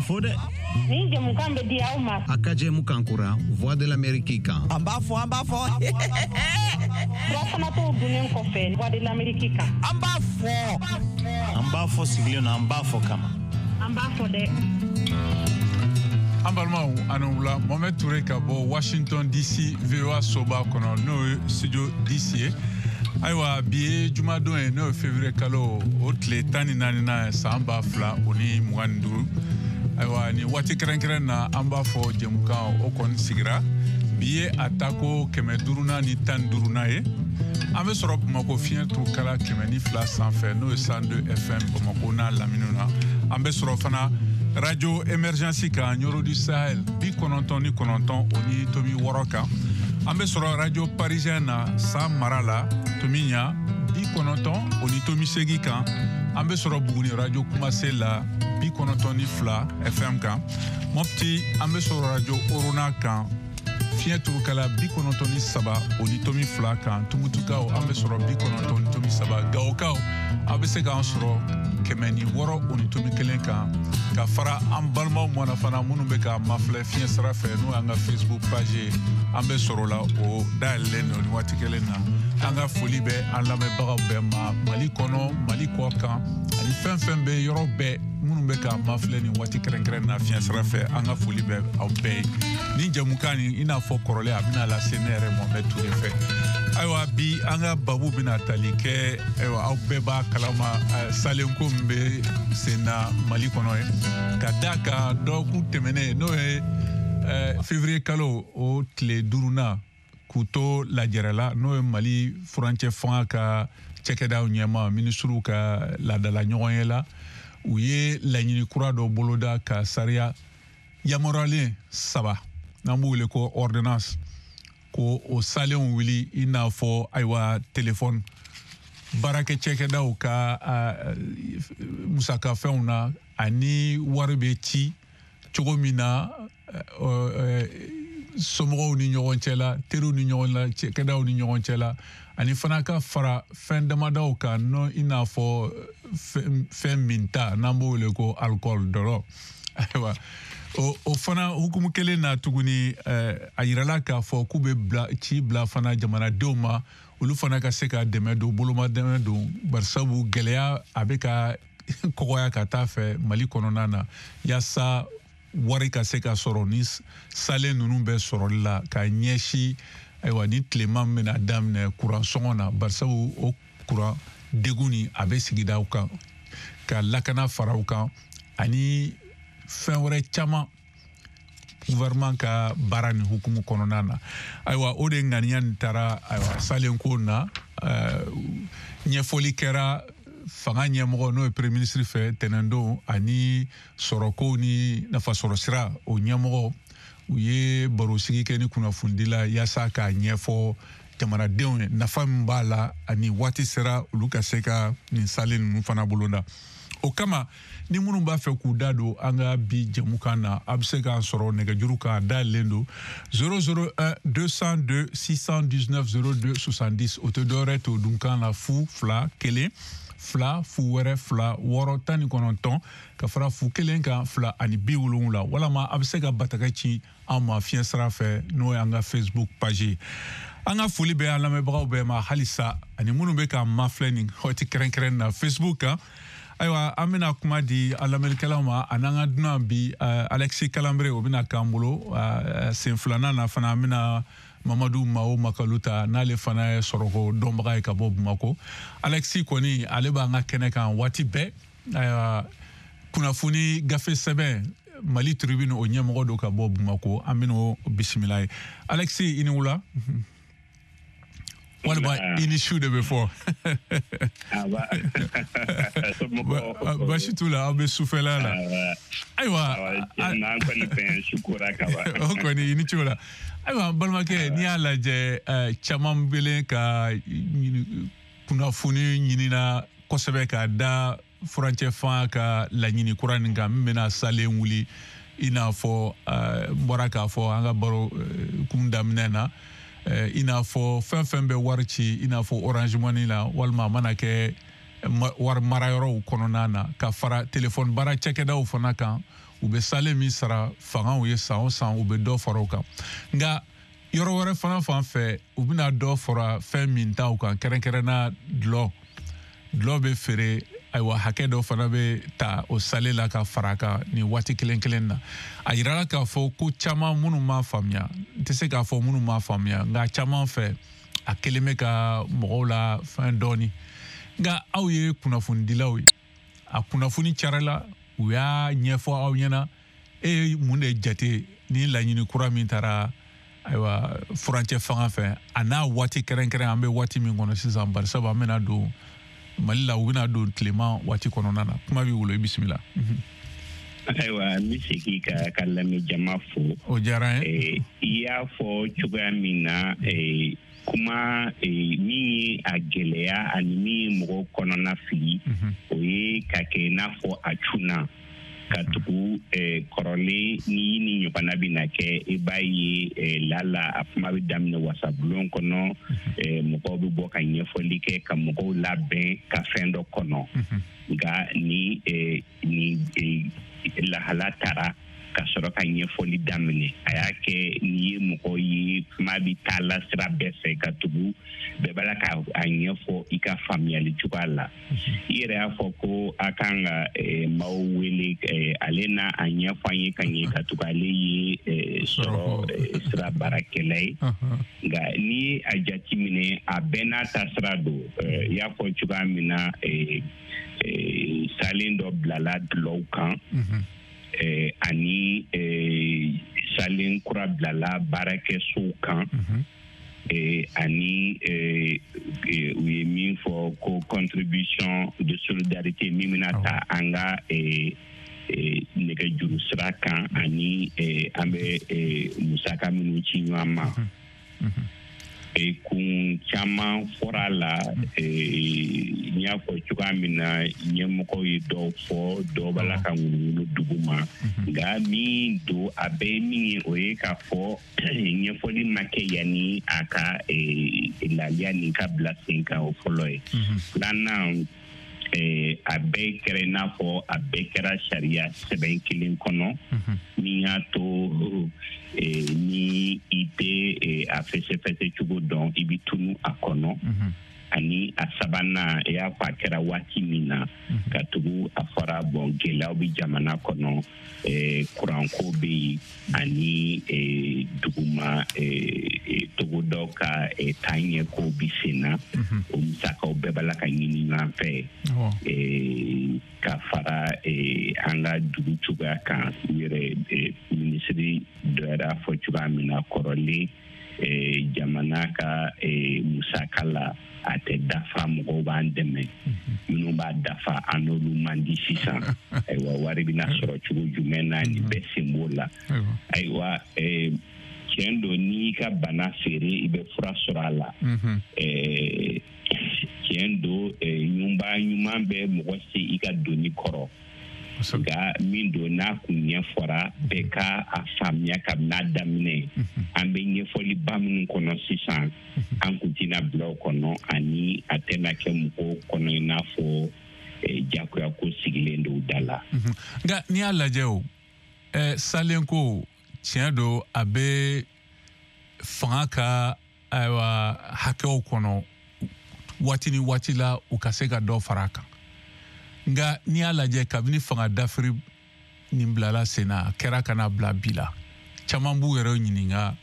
fɔ dɛ. Nin jɛmukan bɛ di aw ma. A ka jɛmukan kura Voix de l'Amérique kan. An b'a fɔ, an b'a fɔ. Surafana to dunnen kɔfɛ Voix de l'Amérique kan. An b'a fɔ. An b'a fɔ sigilen na, an b'a fɔ kama. An b'a fɔ dɛ. An balimaw, ani wula. Mohamed Touré ka bɔ Washington DC, VOA soba kɔnɔ, n'o ye studio DC ye. Ayiwa, bi ye jumadon ye, n'o ye février kalo o tile 14nan ye, san 2025. Ayiwa, nin waati kɛrɛnkɛrɛn na, an b'a fɔ jɛmukan o kɔni sigira. Bi ye a tako 515nan ye. An bɛ sɔrɔ Bamako fiɲɛ turukala 102 sanfɛ, n'o ye 102 FM Bamako n'a laminiw na. An bɛ sɔrɔ fana radio Émergence kan, Nioro du Sahel, 99.6 kan. An bɛ sɔrɔ radio Parisien na, San mara la, Tomiɲa, 98.8 kan. An bɛ sɔrɔ Buguni radio Kumase la, 92 FM kan. Mopti, an bɛ sɔrɔ radio Orona kan, fiɲɛ turukala 93.2 kan. Tumutukaw, an bɛ sɔrɔ 90.3. Gawokaw, aw bɛ se k'an sɔrɔ 106.1 kan. Ka fara an balimaw mana fana minnu bɛ k'a mafilɛ fiɲɛ sira fɛ, n'o y'an ka Facebook page ye, an bɛ sɔrɔ la, o dayɛlɛlen don nin waati kelen na. An ka foli bɛ an lamɛnbagaw bɛɛ ma, Mali kɔnɔ, Mali kɔ kan, ani fɛn fɛn bɛ yɔrɔ bɛɛ, minnu bɛ k'a mafilɛ nin waati kɛrɛnkɛrɛn na fiɲɛ sira fɛ. An ka foli bɛ aw bɛɛ ye. Nin jɛmukan nin, i n'a fɔ kɔrɔlen, a bɛna lase ne yɛrɛ Mohamed Touré fɛ. Ayiwa, bi an ka babu bɛna tali kɛ, ayiwa, aw bɛɛ b'a kalama, salenko min bɛ sen na Mali kɔnɔ ye, ka da kan dɔgɔkun tɛmɛnen, n'o ye février kalo o tile 5nan, k'u to lajɛrɛ la, n'o ye Mali furancɛ fanga ka cakɛdaw ɲɛma minisiriw ka laadala ɲɔgɔnye la, u ye laɲini kura dɔ boloda ka sariya yamaruyalen saba, n'an b'u wele ko ordonnance, ko o salenw wuli, i n'a fɔ ayiwa telefɔni baarakɛ cakɛdaw ka musakafɛnw na, ani wari bɛ ci cogo min na somɔgɔw ni ɲɔgɔn cɛ la, teriw ni ɲɔgɔn la, cakɛdaw ni ɲɔgɔn cɛ la, ani fana ka fara fɛn damadaw kan, n'o i n'a fɔ fɛn minta, n'an b'o wele ko alcool, dɔlɔ. Ayiwa, o fana hukumu kelen na tuguni, a yirala k'a fɔ k'u bɛ bila ci bila fana jamanadenw ma, olu fana ka se ka dɛmɛ don, boloma dɛmɛ don, barisabu gɛlɛya a bɛ ka kɔgɔya ka taa fɛ Mali kɔnɔna na, yaasa wari ka se ka sɔrɔ ni salen ninnu bɛɛ sɔrɔli la ka ɲɛsin, ayiwa, ni tilema min bɛna daminɛ kuran sɔngɔ na, barisabu o kuran degun nin a bɛ sigidaw kan, ka lakana fara u kan, ani fɛn wɛrɛ caman gouvernement ka baara nin hukumu kɔnɔna na. Ayiwa, o de ŋaniya nin taara, ayiwa, salenko na, ɲɛfɔli kɛra fanga ɲɛmɔgɔ, n'o ye premier ministre fɛ tɛnɛndon, ani sɔrɔko ni nafasɔrɔsira o ɲɛmɔgɔ, u ye barosigi kɛ ni kunnafonidila yaasa k'a ɲɛfɔ jamanadenw ye nafa min b'a la, ani waati sera olu ka se ka nin salen ninnu fana bolonda. O kama, ni minnu b'a fɛ k'u da don an ka bi jɛmukan na, a bɛ se k'an sɔrɔ nɛgɛjuru kan, a dayɛlɛlen don 001 202 619 02 70. O tɛ dɔwɛrɛ to dunkan na, 0 2 1 2 0 wɛrɛ 2 6 19 ka fara 0 1 kan 2 ani 70. Walama a bɛ se ka bataka ci an ma fiɲɛ sira fɛ, n'o y'an ka Facebook page ye. An ka foli bɛ an lamɛnbagaw bɛɛ ma halisa, ani minnu bɛ k'an mafilɛ nin waati kɛrɛnkɛrɛn na Facebook kan. Ayiwa, an bɛna kuma di an lamɛnnikɛlaw ma, ani an ka dunan bi, Alexis Kalanbere, o bɛna k'an bolo sen filanan na fana. An bɛna Mamadu Mao Makalu ta, n'ale fana ye sɔrɔko dɔnbaga ye ka bɔ Bamako. Alexis kɔni, ale b'an ka kɛnɛ kan waati bɛɛ. Ayiwa, kunnafoni gafe sɛbɛn Mali Tribune o ɲɛmɔgɔ don ka bɔ Bamako, an bɛn'o bisimila ye. Alexis, i ni wula, walima i ni su de bɛ fɔ. Baasi t'u la, aw bɛ sufɛla la. Ayiwa, o kɔni, i ni ce o la. Ayiwa, n balimakɛ, n'i y'a lajɛ, caman bɛlen ka kunnafoni ɲinina kosɛbɛ ka da furancɛ fanga ka laɲini kura nin kan, min bɛna salen wuli, i n'a fɔ n bɔra k'a fɔ an ka baro kun daminɛ na, i n'a fɔ fɛn fɛn bɛ wari ci, i n'a fɔ Orange Money la, walima a mana kɛ wari marayɔrɔw kɔnɔna na, ka fara telefɔni baara cakɛdaw fana kan. U bɛ salen min sara fangaw ye san o san, u bɛ dɔ fara o kan. Nka yɔrɔ wɛrɛ fana fan fɛ, u bɛna dɔ fara fɛn min taw kan, kɛrɛnkɛrɛnna dɔlɔ. Dɔlɔ bɛ feere, ayiwa, hakɛ dɔ fana bɛ ta o sale la ka fara a kan nin waati kelen kelen na. A yirala k'a fɔ ko caman minnu m'a faamuya, n tɛ se k'a fɔ minnu m'a faamuya, nka caman fɛ a kelen bɛ ka mɔgɔw la fɛn dɔɔni. Nka aw ye kunnafonidilaw ye, a kunnafoni carila, u y'a ɲɛfɔ aw ɲɛna. E ye mun de jate ni laɲini kura min taara, ayiwa, furancɛ fanga fɛ, a n'a waati kɛrɛnkɛrɛn an bɛ waati min kɔnɔ sisan, barisabu an bɛna don Mali la, u bɛna don tilema waati kɔnɔna na? Kuma b'i bolo, i bisimila. Ayiwa, n bɛ segin ka lamɛn jama fo. O diyara n ye. I y'a fɔ cogoya min na, kuma min ye a gɛlɛya ani min ye mɔgɔw kɔnɔna fili, o ye ka kɛ i n'a fɔ a cunna ka tugu kɔrɔlen. Ni ni ɲɔgɔnna bɛna kɛ, i b'a ye lala a kuma bɛ daminɛ wasabulon kɔnɔ, mɔgɔw bɛ bɔ ka ɲɛfɔli kɛ, ka mɔgɔw labɛn ka fɛn dɔ kɔnɔ. Nka ni lahala taara ka sɔrɔ ka ɲɛfɔli daminɛ, a y'a kɛ n'i ye mɔgɔ ye, kuma bɛ taa la sira bɛɛ fɛ, ka tugu bɛɛ b'a la ka a ɲɛfɔ i ka faamuyali cogoya la. I yɛrɛ y'a fɔ ko a kan ka maaw wele, ale n'a a ɲɛfɔ an ye ka ɲɛ, ka tugu ale ye sɔrɔ sira baarakɛla ye. Nka n'i ye a jateminɛ, a bɛɛ n'a ta sira don. I y'a fɔ cogoya min na, salen dɔ bilala dulɔw kan, ani salen kura bilala baarakɛsow kan, ani u ye min fɔ ko contribution de solidarité min bɛna ta an ka nɛgɛjuru sira kan, ani an bɛ musaka minnu ci ɲɔgɔn ma. Kun caman fɔra a la. N y'a fɔ cogoya min na, ɲɛmɔgɔw ye dɔw fɔ, dɔw b'a la ka ŋunuŋunu dugu ma. Nka min don, a bɛɛ ye min ye, o ye k'a fɔ ɲɛfɔli ma kɛ yanni a ka laliya nin ka bila sen kan, o fɔlɔ ye. Filanan, a bɛɛ kɛra i n'a fɔ a bɛɛ kɛra sariya sɛbɛn kelen kɔnɔ, min y'a to ni i tɛ a fɛsɛfɛsɛ cogo dɔn, i bɛ tunu a kɔnɔ. Ani a sabanan, i y'a fɔ a kɛra waati min na, ka tugu a fɔra bɔn gɛlɛyaw bɛ jamana kɔnɔ, kuranko bɛ yen, ani duguma togodaw ka taaɲɛkow bɛ sen na, o musakaw bɛɛ b'a la ka ɲini ɲɔgɔn fɛ, ka fara an ka dugu cogoya kan. U yɛrɛ minisiri dɔ yɛrɛ y'a fɔ cogoya min na kɔrɔlen, jamana ka musaka la a tɛ dafa, mɔgɔw b'an dɛmɛ, minnu b'a dafa an n'olu man di sisan. Ayiwa, wari bɛna sɔrɔ cogo jumɛn na, nin bɛɛ sen b'o la. Ayiwa, tiɲɛ don, n'i ka bana feere, i bɛ fura sɔrɔ a la. Tiɲɛ don, ɲuman ɲuman bɛ mɔgɔ se i ka doni kɔrɔ. Nka min don, n'a kun ɲɛfɔra, bɛɛ ka a faamuya kabini a daminɛ. An bɛ ɲɛfɔliba minnu kɔnɔ sisan, an kun tɛna bila o kɔnɔ, ani a tɛna kɛ mɔgɔw kɔnɔ i n'a fɔ jagoya ko sigilen don da la. Nka n'i y'a lajɛ, o salen ko, tiɲɛ don, a bɛ fanga ka, ayiwa, hakɛw kɔnɔ waati ni waati la, u ka se ka dɔ fara a kan. Nka n'i y'a lajɛ, kabini fanga dafiri nin bilala sen na, a kɛra ka na bila bi la, caman b'u yɛrɛ ɲininka.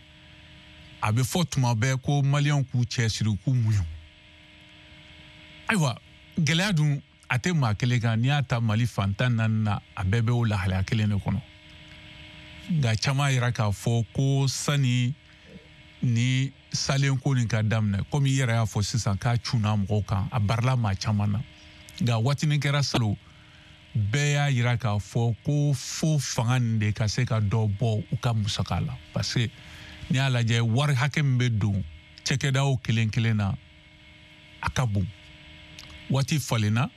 A bɛ fɔ tuma bɛɛ ko maliyɛnw k'u cɛsiri, k'u muɲu. Ayiwa, gɛlɛya dun a tɛ maa kelen kan. N'i y'a ta Mali fan 14 na, a bɛɛ bɛ o lahalaya kelen de kɔnɔ. Nka caman yira k'a fɔ ko sani ni salen ko nin ka daminɛ, komi i yɛrɛ y'a fɔ sisan k'a cunna mɔgɔw kan, a barila maa caman na. Nka waatinin kɛra salon, bɛɛ y'a yira k'a fɔ ko fo fanga nin de ka se ka dɔ bɔ u ka musaka la, parce que n'i y'a lajɛ, wari hakɛ min bɛ don cakɛdaw kelen kelen na, a ka bon. Waati falenna,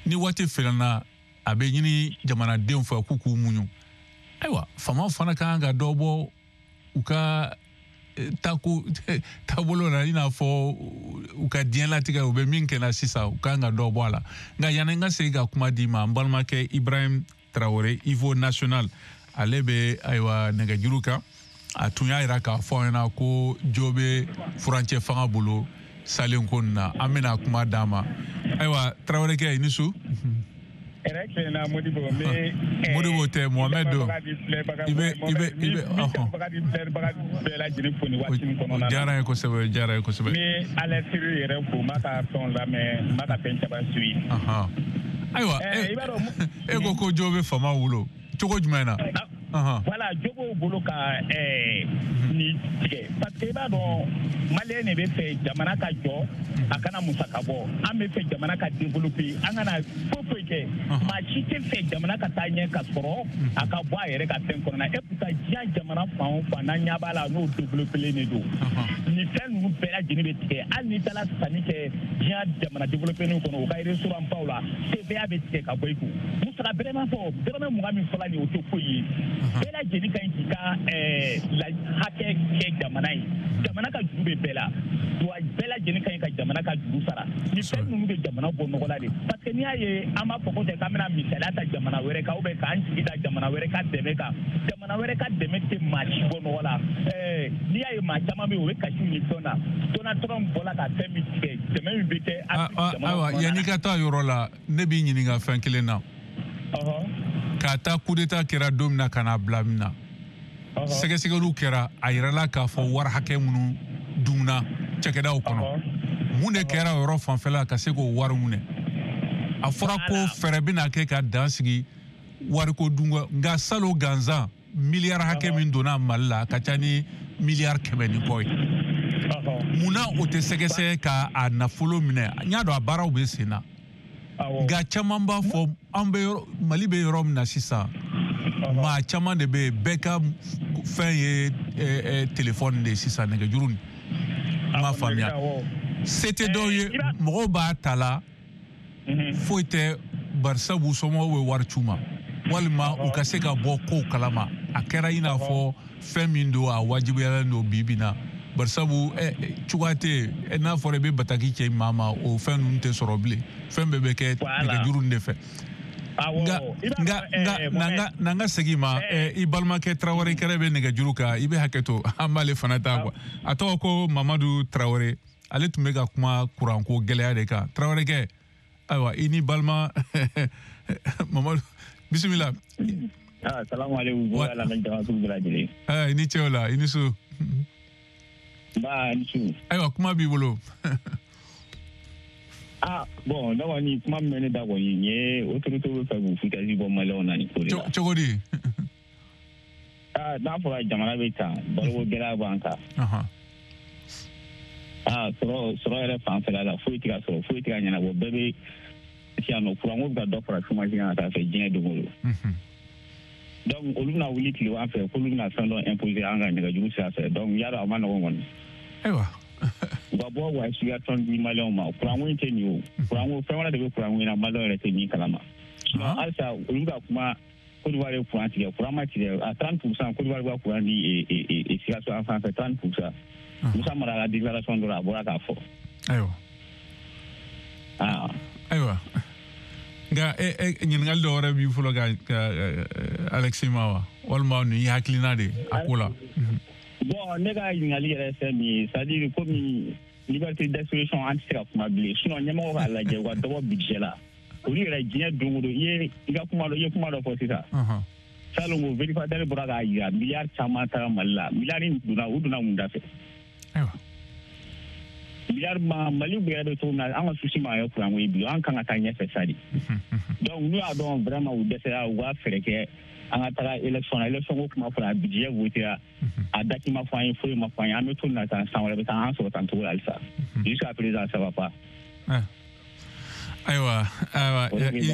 ni waati falenna, a bɛ ɲini jamanadenw fɛ k'u k'u muɲu. Ayiwa, faamaw fana ka kan ka dɔ bɔ u ka tako taabolo la, i n'a fɔ u ka diɲɛlatigɛ, u bɛ min kɛ na sisan, u kan ka dɔ bɔ a la. Nka yanni n ka segin ka kuma d'i ma, n balimakɛ Ibrahim Traoré, Ivo National, ale bɛ ayiwa nɛgɛjuru kan. A tun y'a jira k'a fɔ an ɲɛna ko jo bɛ furancɛ fanga bolo salen ko nin na. An bɛna kuma d'a ma. Ayiwa Traorékɛ, i ni su. Hɛrɛ tilenna Modibo, n bɛ Modibo tɛ, Mohamed don. I bɛ filɛbaga bɛɛ lajɛlen fo nin waati in kɔnɔna na. Diyara n ye kosɛbɛ, diyara n ye kosɛbɛ. N bɛ Alɛsiri yɛrɛ fo, n b'a ka fɛnw lamɛn, n b'a ka fɛn caman suivi. Ayiwa, e ko jo bɛ faamaw bolo cogo jumɛn na? Voilà, jo b'o bolo ka nin tigɛ parce que i b'a dɔn maliyɛn de bɛ fɛ jamana ka jɔ, a kana musaka bɔ. An bɛ fɛ jamana ka développer, an kana foyi foyi kɛ. Maa si tɛ fɛ jamana ka taa ɲɛ ka sɔrɔ a ka bɔ a yɛrɛ ka fɛn kɔnɔna. Et pourtant diɲɛ jamana fan o fan n'an ɲɛ b'a la n'o développelen de don. Nin fɛn ninnu bɛɛ lajɛlen bɛ tigɛ. Hali n'i taara sanni kɛ diɲɛ jamana développelen kɔnɔ, u ka restaurant baw la, TVA bɛ tigɛ ka bɔ i kun. Musaka bɛrɛ ma fɔ, dɔrɔmɛ 20 min fɔla nin ye, o tɛ foyi ye. Bɛɛ lajɛlen ka ɲi k'i ka hakɛ kɛ jamana ye. Jamana ka juru bɛ bɛɛ la, wa bɛɛ lajɛlen ka ɲi ka jamana ka juru sara. Nin fɛn ninnu bɛ jamana bɔ nɔgɔ la de. Parce que n'i y'a ye an b'a fɔ ko tɛ k'an bɛna misaliya ta jamana wɛrɛ kan, ou bien k'an jigi da jamana wɛrɛ ka dɛmɛ kan. Jamana wɛrɛ ka dɛmɛ tɛ maa si bɔ nɔgɔ la. N'i y'a ye maa caman bɛ yen, o bɛ kasiw ni fɛnw na. Donald Trump bɔra ka fɛn min tigɛ, dɛmɛ min bɛ kɛ. Ayiwa, yanni ka taa yɔrɔ la, ne b'i ɲininka fɛn kelen na. K'a ta coup d'état kɛra don min na ka n'a bila min na, sɛgɛsɛgɛliw kɛra, a yirala k'a fɔ wari hakɛ minnu dunna cakɛdaw kɔnɔ. Mun de kɛra o yɔrɔ fanfɛla ka se k'o wari minɛ? A fɔra ko fɛɛrɛ bɛna kɛ ka dan sigi wariko dun, nka salon gansan miliyari hakɛ min donna Mali la a ka ca ni miliyari 100 ni kɔ ye. Munna o tɛ sɛgɛsɛgɛ ka a nafolo minɛ? N y'a dɔn a baaraw bɛ sen na. Nka caman b'a fɔ an bɛ yɔrɔ, Mali bɛ yɔrɔ min na sisan, maa caman de bɛ yen, bɛɛ ka fɛn ye telefɔni de ye sisan, nɛgɛjuru nin. N m'a faamuya. Se tɛ dɔw ye, mɔgɔw b'a ta la, foyi tɛ, barisabu somɔgɔw bɛ wari c'u ma, walima u ka se ka bɔ kow kalama. A kɛra i n'a fɔ fɛn min don, a wajibiyalen don bi bi in na. Barisabu cogoya tɛ yen, n'a fɔra i bɛ bataki cɛ maa ma, o fɛn ninnu tɛ sɔrɔ bilen. Fɛn bɛɛ bɛ kɛ nɛgɛjuru nin de fɛ. Nka n'an ka segin ma, i balimakɛ Traoré kɛrɛ bɛ nɛgɛjuru kan, i bɛ hakɛ to, an b'ale fana ta quoi. A tɔgɔ ko Mamadu Traoré, ale tun bɛ ka kuma kuranko gɛlɛya de kan. Traoré kɛ, ayiwa i ni balima Mamadu, bisimila. Salamu aleykum, I ni ce o la, i ni su. Ba, ni su. Ayiwa, kuma b'i bolo. Bon, ne kɔni kuma min bɛ ne da kɔni, nin ye autorité bɛ fɛ k'u foutaise bɔ maliyɛnw na nin ko de la. Cogo di? N'a fɔra jamana bɛ tan, baloko gɛlɛya b'an kan. Sɔrɔ yɛrɛ fanfɛla la, foyi tɛ ka sɔrɔ, foyi tɛ ka ɲɛnabɔ, bɛɛ bɛ yan nɔ, kuranko bɛ ka dɔ fara chômage kan ka taa fɛ diɲɛ don o don. Donc olu bɛna wuli tilegan fɛ k'olu bɛna fɛn dɔ imposer an kan nɛgɛjuru sira fɛ, donc y'a dɔn a ma nɔgɔn kɔni. Ayiwa. U ka bɔ wa explication di maliyɛnw ma, kuranko in tɛ nin ye o. Kuranko fɛn wɛrɛ de bɛ kuranko in na, maliyɛnw yɛrɛ tɛ min kalama. Sinon halisa olu ka kuma Côte d'Ivoire ye kuran tigɛ, kuran ma tigɛ à 30%, Côte d'Ivoire bɛ ka kuran di Sikaso an fan fɛ 30%. Musa Mara ka déclaration dɔ la, a bɔra k'a fɔ. Ayiwa. Ayiwa. Nka ɲininkali dɔ wɛrɛ b'i bolo ka Alexis ma wa, walima nin y'i hakilina de a ko la? Bon, ne ka ɲininkali yɛrɛ fɛn min ye, c'est à dire komi liberté d'expression an tɛ se ka kuma bilen, sinon ɲɛmɔgɔw k'a lajɛ u ka dɔ bɔ budget la. Olu yɛrɛ diɲɛ don o don, i ye kuma dɔ fɔ sisan. Salon ko vérificateur bɔra k'a jira miliyari caman taara Mali la, miliyari donna, u donna mun da fɛ? Ayiwa. Miliyari ma Mali yɛrɛ bɛ cogo min na, an ka souci ma kɛ kuranko ye bi, an kan ka taa ɲɛfɛ sa de. Donc n'u y'a dɔn vraiment u dɛsɛra, u ka fɛɛrɛ kɛ an ka taga élection na. Élection ko kuma fɔra, budget votera, a date ma fɔ an ye, foyi ma fɔ an ye, an bɛ to nin na tan, san wɛrɛ bɛ taa an sɔrɔ tan cogo la halisa. Jusqu'à présent ça va pas. Ayiwa,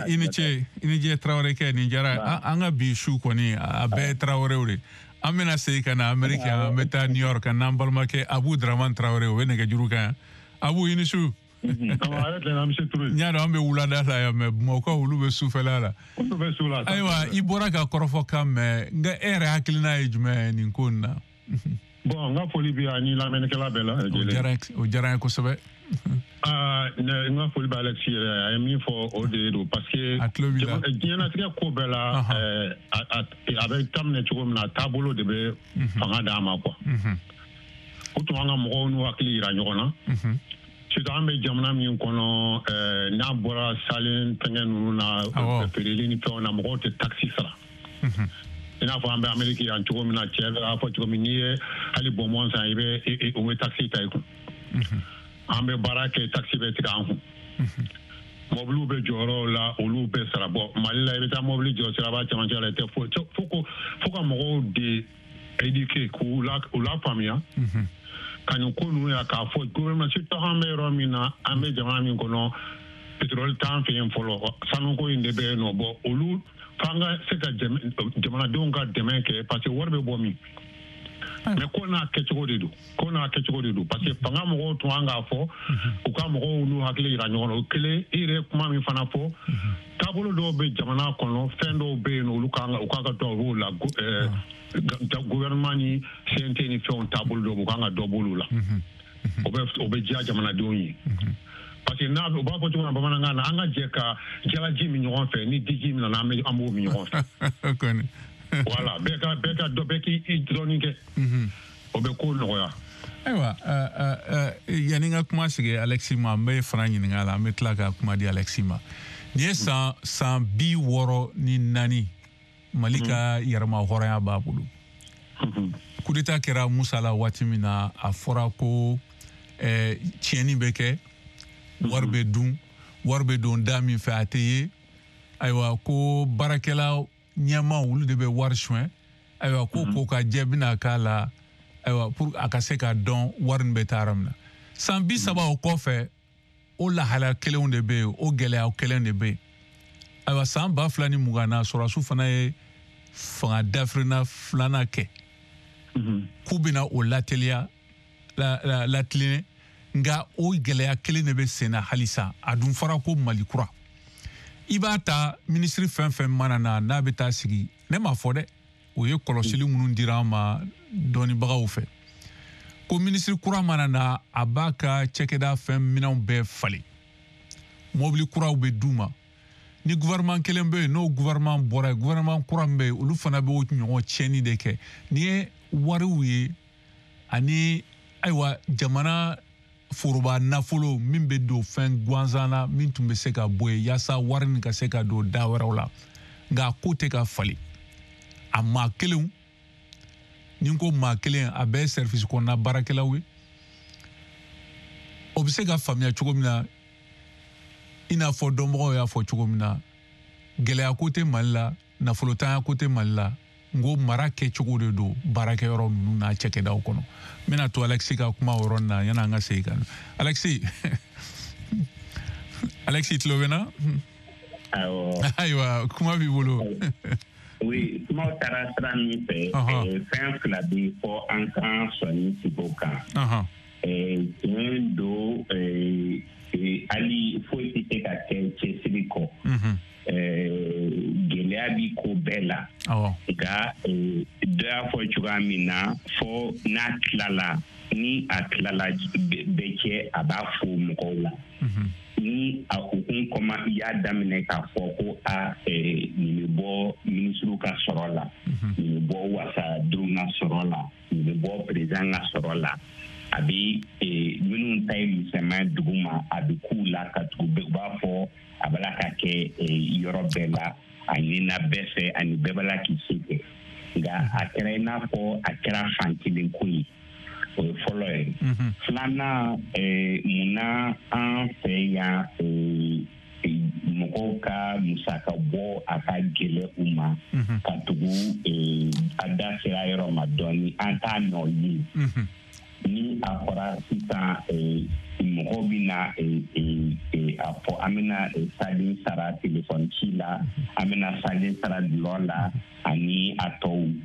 i ni ce, i ni ce Traoré kɛ, nin diyara. An ka bi su kɔni a bɛɛ ye Traoréw de. An bɛna segin ka na Amérique, an bɛ taa New York n'an balimakɛ Abu Dramane Traoré, o bɛ nɛgɛjuru kan yan. Abu, i ni su. N y'a dɔn an bɛ wulada la yan, mais Bamakɔ olu bɛ sufɛla la. Ayiwa, i bɔra ka kɔrɔfɔ kan mɛn, nka e yɛrɛ hakilina ye jumɛn ye nin ko in na? Bon, n ka foli bɛ ani lamɛnnikɛla bɛɛ la. O diyara n ye kosɛbɛ. N ka foli bɛ Alexis yɛrɛ, a ye min fɔ, o de don, parce que diɲɛlatigɛ ko bɛɛ la, a bɛ daminɛ cogo min na, taabolo de bɛ fanga d'a ma quoi. O tun an ka mɔgɔw n'u hakili yira ɲɔgɔn na. Surtout an bɛ jamana min kɔnɔ, n'a bɔra salen fɛngɛ ninnu na, feereli ni fɛnw na, mɔgɔw tɛ taxe sara. I n'a fɔ an bɛ Amérique yan cogo min na, cɛ b'a fɔ cogo min, n'i ye hali bonbon san, i bɛ o bɛ taxe ta i kun. An bɛ baara kɛ, taxe bɛ tigɛ an kun. Mɔbiliw bɛ jɔyɔrɔw la, olu bɛ sara. Bɔ Mali la, i bɛ taa mɔbili jɔ siraba cɛmancɛ la, i tɛ foyi. Fo ka mɔgɔw de éduquer, k'u lafaamuya ka nin ko ninnu ya, k'a fɔ gouvernement, surtout an bɛ yɔrɔ min na, an bɛ jamana min kɔnɔ, pétrole t'an fɛ yen fɔlɔ, sanuko in de bɛ yen nɔ. Bɔ olu f'an ka se ka jamanadenw ka dɛmɛ kɛ, parce que wari bɛ bɔ min. Mais ko n'a kɛcogo de don, ko n'a kɛcogo de don, parce que fanga mɔgɔw tun kan k'a fɔ, u ka mɔgɔw n'u hakili yira ɲɔgɔn na. O kelen, i yɛrɛ kuma min fana fɔ, taabolo dɔw bɛ jamana kɔnɔ, fɛn dɔw bɛ yen, olu kan u kan ka dɔ b'o la, gouvernement ni CNT ni fɛnw taabolo dɔw, u kan ka dɔ b'olu la. O bɛ diya jamanadenw ye. Parce que n'a u b'a fɔ cogo min na bamanankan na, an ka jɛ ka jalaji min ɲɔgɔn fɛ, ni diji min nana, an b'o min ɲɔgɔn fɛ. Voilà, bɛɛ ka dɔ, bɛɛ k'i dɔɔnin kɛ. O bɛ ko nɔgɔya. Ayiwa, yanni n ka kuma sigi Alexis ma, n bɛ fana ɲininka a la, an bɛ tila ka kuma di Alexis ma. Nin ye san 64 Mali ka yɛrɛma hɔrɔnya b'a bolo. Coup d'état kɛra Musa la waati min na, a fɔra ko tiɲɛni bɛ kɛ, wari bɛ dun, wari bɛ don da min fɛ a tɛ ye. Ayiwa, ko baarakɛla ɲɛmaw olu de bɛ wari suɲɛ. Ayiwa, ko ka jɛ bɛna k'a la, ayiwa, pour a ka se ka dɔn wari nin bɛ taa yɔrɔ min na. San 30 o kɔfɛ, o lahalaya kelenw de bɛ yen, o gɛlɛya kelen de bɛ yen. Ayiwa, san 2020 na, sɔrɔdasiw fana ye fanga dafirinna filanan kɛ. K'u bɛna o lateliya latilen, nka o gɛlɛya kelen de bɛ sen na halisa. A dun fɔra ko Mali kura. I b'a ta minisiri fɛn fɛn mana na, n'a bɛ taa sigi, ne m'a fɔ dɛ, o ye kɔlɔsili minnu dira an ma dɔnnibagaw fɛ, ko minisiri kura mana na, a b'a ka cakɛda fɛn minɛnw bɛɛ falen, mɔbili kuraw bɛ d'u ma. Ni gouvernement kelen bɛ yen, n'o gouvernement bɔra yen, gouvernement kura min bɛ yen, olu fana bɛ o ɲɔgɔn tiɲɛni de kɛ. N'i ye wariw ye ani ayiwa jamana foroba nafolo min bɛ don fɛn gansan na, min tun bɛ se ka bɔ yen yaasa wari nin ka se ka don da wɛrɛw la, nka a ko tɛ ka falen. A maa kelenw, ni n ko maa kelen, a bɛɛ ye service kɔnɔna baarakɛlaw ye. O bɛ se ka faamuya cogo min na, i n'a fɔ dɔnbagaw y'a fɔ cogo min na, gɛlɛya ko tɛ Mali la, nafolotanya ko tɛ Mali la, n ko mara kɛcogo de don baarakɛyɔrɔ ninnu n'a cakɛdaw kɔnɔ. N bɛna to Alexis ka kuma o yɔrɔnin na yanni an ka segin ka na. Alexis tulo bɛ n na? Awɔ. Ayiwa, kuma b'i bolo. Oui, kumaw taara sira min fɛ, fɛn fila bɛ fɔ an kan sɔnni sigi o kan. Tiɲɛ don, hali foyi tɛ se ka kɛ cɛsiri kɔ. Gɛlɛya bi ko bɛɛ la. Nka dɔ y'a fɔ cogoya min na, fɔ n'a tilala, ni a tilala bɛɛ cɛ, a b'a fo mɔgɔw la. Ni a kun kɔma i y'a daminɛ k'a fɔ ko a nin bɛ bɔ minisiriw ka sɔrɔ la, nin bɛ bɔ wasadenw ka sɔrɔ la, nin bɛ bɔ président ka sɔrɔ la, a bɛ minnu ta ye misɛnman dugu ma, a bɛ k'u la ka tugu, u b'a fɔ a b'a la ka kɛ yɔrɔ bɛɛ la, a ɲinina bɛɛ fɛ, ani bɛɛ b'a la k'i se kɛ. Nka a kɛra i n'a fɔ a kɛra fan kelen ko ye. O ye fɔlɔ ye. Filanan, munna an fɛ yan mɔgɔw ka musaka bɔ a ka gɛlɛ u ma, ka tugu a da sera yɔrɔ ma dɔɔni, an t'a nɔ ye. Ni a fɔra sisan mɔgɔw bɛna a fɔ an bɛna salen sara telefɔni ci la, an bɛna salen sara dulɔ la ani a tɔw,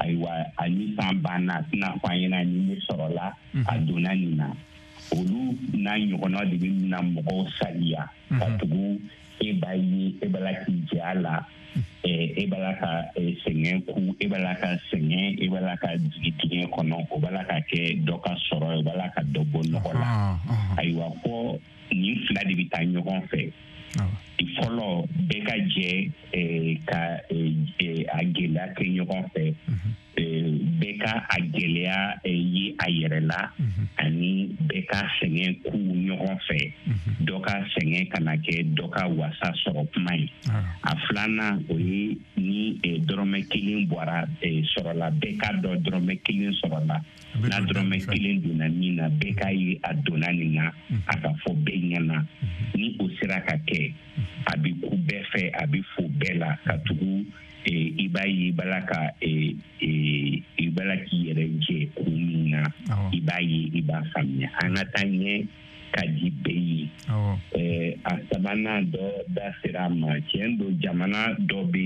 ayiwa, ani san banna a tɛna fɔ an ɲɛna ni ne sɔrɔla a donna nin na. Olu n'a ɲɔgɔnna de bɛ na mɔgɔw saliya, ka tugu e b'a ye, e b'a la k'i jɛ a la, e b'a la ka sɛgɛn ku, e b'a la ka sɛgɛn, e b'a la ka jigin dingɛ kɔnɔ, o b'a la ka kɛ dɔ ka sɔrɔ ye, o b'a la ka dɔ bɔ nɔgɔ la. Ayiwa, fɔ Nin fila de bɛ taa ɲɔgɔn fɛ. Fɔlɔ, bɛɛ ka jɛ ka a gɛlɛya kɛ ɲɔgɔn fɛ, bɛɛ ka a gɛlɛya ye a yɛrɛ la, ani bɛɛ ka sɛgɛn ku ɲɔgɔn fɛ, dɔ ka sɛgɛn kana kɛ dɔ ka wasa sɔrɔ kuma ye. A filanan, o ye ni dɔrɔmɛ kelen bɔra sɔrɔla, bɛɛ ka dɔn dɔrɔmɛ kelen sɔrɔla. N'a dɔrɔmɛ kelen donna min na, bɛɛ k'a ye a donna nin na, a ka fɔ bɛɛ ɲɛna. Ni o sera ka kɛ, a bɛ ku bɛɛ fɛ, a bɛ fo bɛɛ la, ka tugu i b'a ye i b'a la ka i b'a la k'i yɛrɛ jɛ kun min na, i b'a ye, i b'a faamuya. An ka taa ɲɛ ka di bɛɛ ye. A sabanan, dɔ da sera a ma. Tiɲɛ don, jamana dɔ bɛ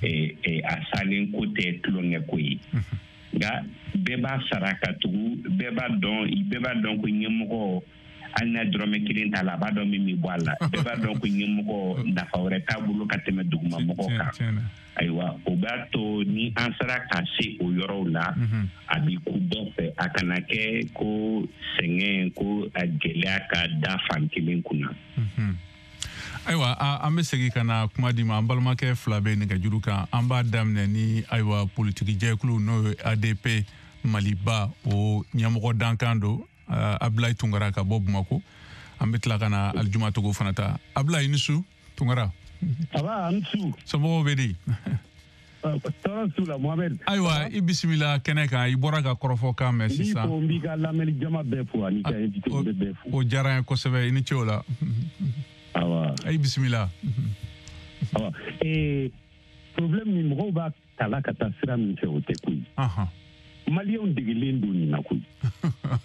yen, a salen ko tɛ tulonkɛ ko ye, nka bɛɛ b'a sara, ka tugu bɛɛ b'a dɔn ko ɲɛmɔgɔ, hali n'a dɔrɔmɛ kelen t'a la, a b'a dɔn min bɛ bɔ a la. Bɛɛ b'a dɔn ko ɲɛmɔgɔ, nafa wɛrɛ t'a bolo ka tɛmɛ dugumamɔgɔ kan. Ayiwa, o b'a to ni an sera ka se o yɔrɔw la, a bɛ ku bɛɛ fɛ, a kana kɛ ko sɛgɛn, ko a gɛlɛya ka da fan kelen kunna. Ayiwa, an bɛ segin ka na kuma di ma. An balimakɛ fila bɛ nɛgɛjuru kan. An b'a daminɛ ni, ayiwa, politiki jɛkulu, n'o ye ADP Maliba, o ɲɛmɔgɔ dankan don, Abulayi Tunkara ka bɔ Bamako. An bɛ tila ka na Alijuma Togo fana ta. Abulayi, i ni su, Tunkara. Aba, an su. Somɔgɔw bɛ di? Tɔɔrɔ su la, Mohamed. Ayiwa, i bisimila kɛnɛ kan. I bɔra ka kɔrɔfɔ kan mɛn sisan. N b'i fo, n b'i ka lamɛnni jama bɛɛ fo, ani ka invité bɛɛ fo. O diyara n ye kosɛbɛ, i ni ce o la. Awa. I bisimila. Awa, problème min mɔgɔw b'a tala ka taa sira min fɛ, o tɛ koyi. Maliyɛnw degelen don nin na koyi,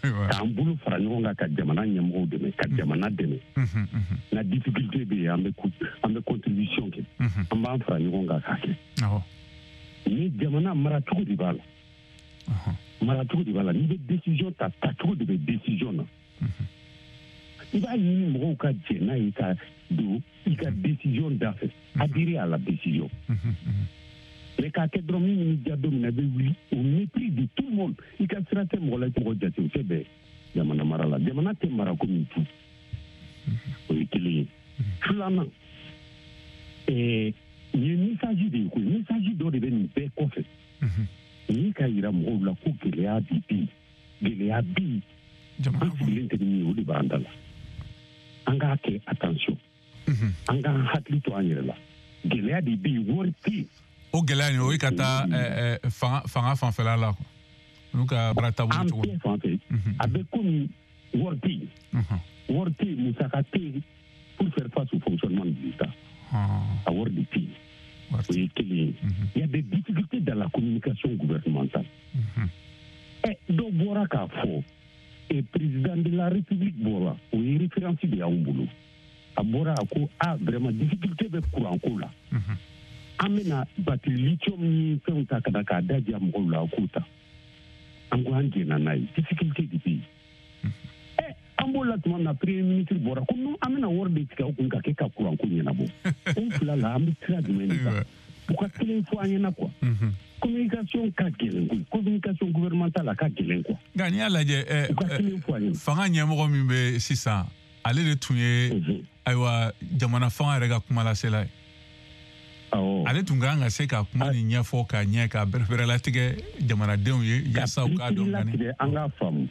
k'an bolo fara ɲɔgɔn kan ka jamana ɲɛmɔgɔw dɛmɛ, ka jamana dɛmɛ. Na difficulté bɛ yen, an bɛ contribution kɛ, an b'an fara ɲɔgɔn kan k'a kɛ. Ni jamana maracogo de b'a la, maracogo de b'a la. N'i bɛ décision ta, tacogo de bɛ décision na. I b'a ɲini mɔgɔw ka jɛ n'a ye ka don i ka décision da fɛ, adhérer à la décision. Mais k'a kɛ dɔrɔn, min bɛ diya don min na, i bɛ wuli au mépris de tout le monde, i ka sira tɛ mɔgɔ la, i tɛ mɔgɔ jate, o tɛ bɛn jamana mara la. Jamana tɛ mara komi du. O ye kelen ye. Filanan, nin ye message de ye koyi. Message dɔ de bɛ nin bɛɛ kɔfɛ. Nin ye ka yira mɔgɔw la ko gɛlɛya de bɛ yen, gɛlɛya bɛ yen, an sigilen tɛ ni min ye, o de b'an da la. An k'a kɛ attention, an k'an hakili to an yɛrɛ la. Gɛlɛya de bɛ yen, wari tɛ yen. O gɛlɛya nin, o ye ka taa fanga fanfɛla la, n'u ka baara taabolo cogo. An bɛɛ fan fɛ, a bɛ komi wari tɛ yen, wari tɛ yen, musaka tɛ yen pour faire face au fonctionnement de l'État. A wari de tɛ yen, o ye kelen ye. Il y a des difficultés dans la communication gouvernementale. Dɔ bɔra k'a fɔ, président de la République bɔra, o ye référence de y'anw bolo. A bɔra, a ko ah, vraiment, difficulté bɛ courant ko la, an bɛna batterie lithium ni fɛnw ta ka na k'a da diya mɔgɔw la. A k'o ta, an ko an jɛnna n'a ye. Difficulté de bɛ yen. An b'o la tuma min na, premier ministre bɔra ko non, an bɛna wari de tigɛ aw kun ka kɛ ka courant ko ɲɛnabɔ. O fila la, an bɛ sira jumɛn de ta? U ka kelen fɔ an ɲɛna quoi. Communication ka gɛlɛn koyi, communication gouvernementale, a ka gɛlɛn quoi. Nka n'i y'a lajɛ, u ka kelen fɔ an ɲɛna. Fanga ɲɛmɔgɔ min bɛ sisan, ale de tun ye, ayiwa, jamana fanga yɛrɛ ka kumalasela ye. Ale tun kan ka se ka kuma nin ɲɛfɔ ka ɲɛ, ka bɛrɛbɛrɛlatigɛ jamanadenw ye, yaasa u k'a dɔn. Latigɛ, an k'a faamu.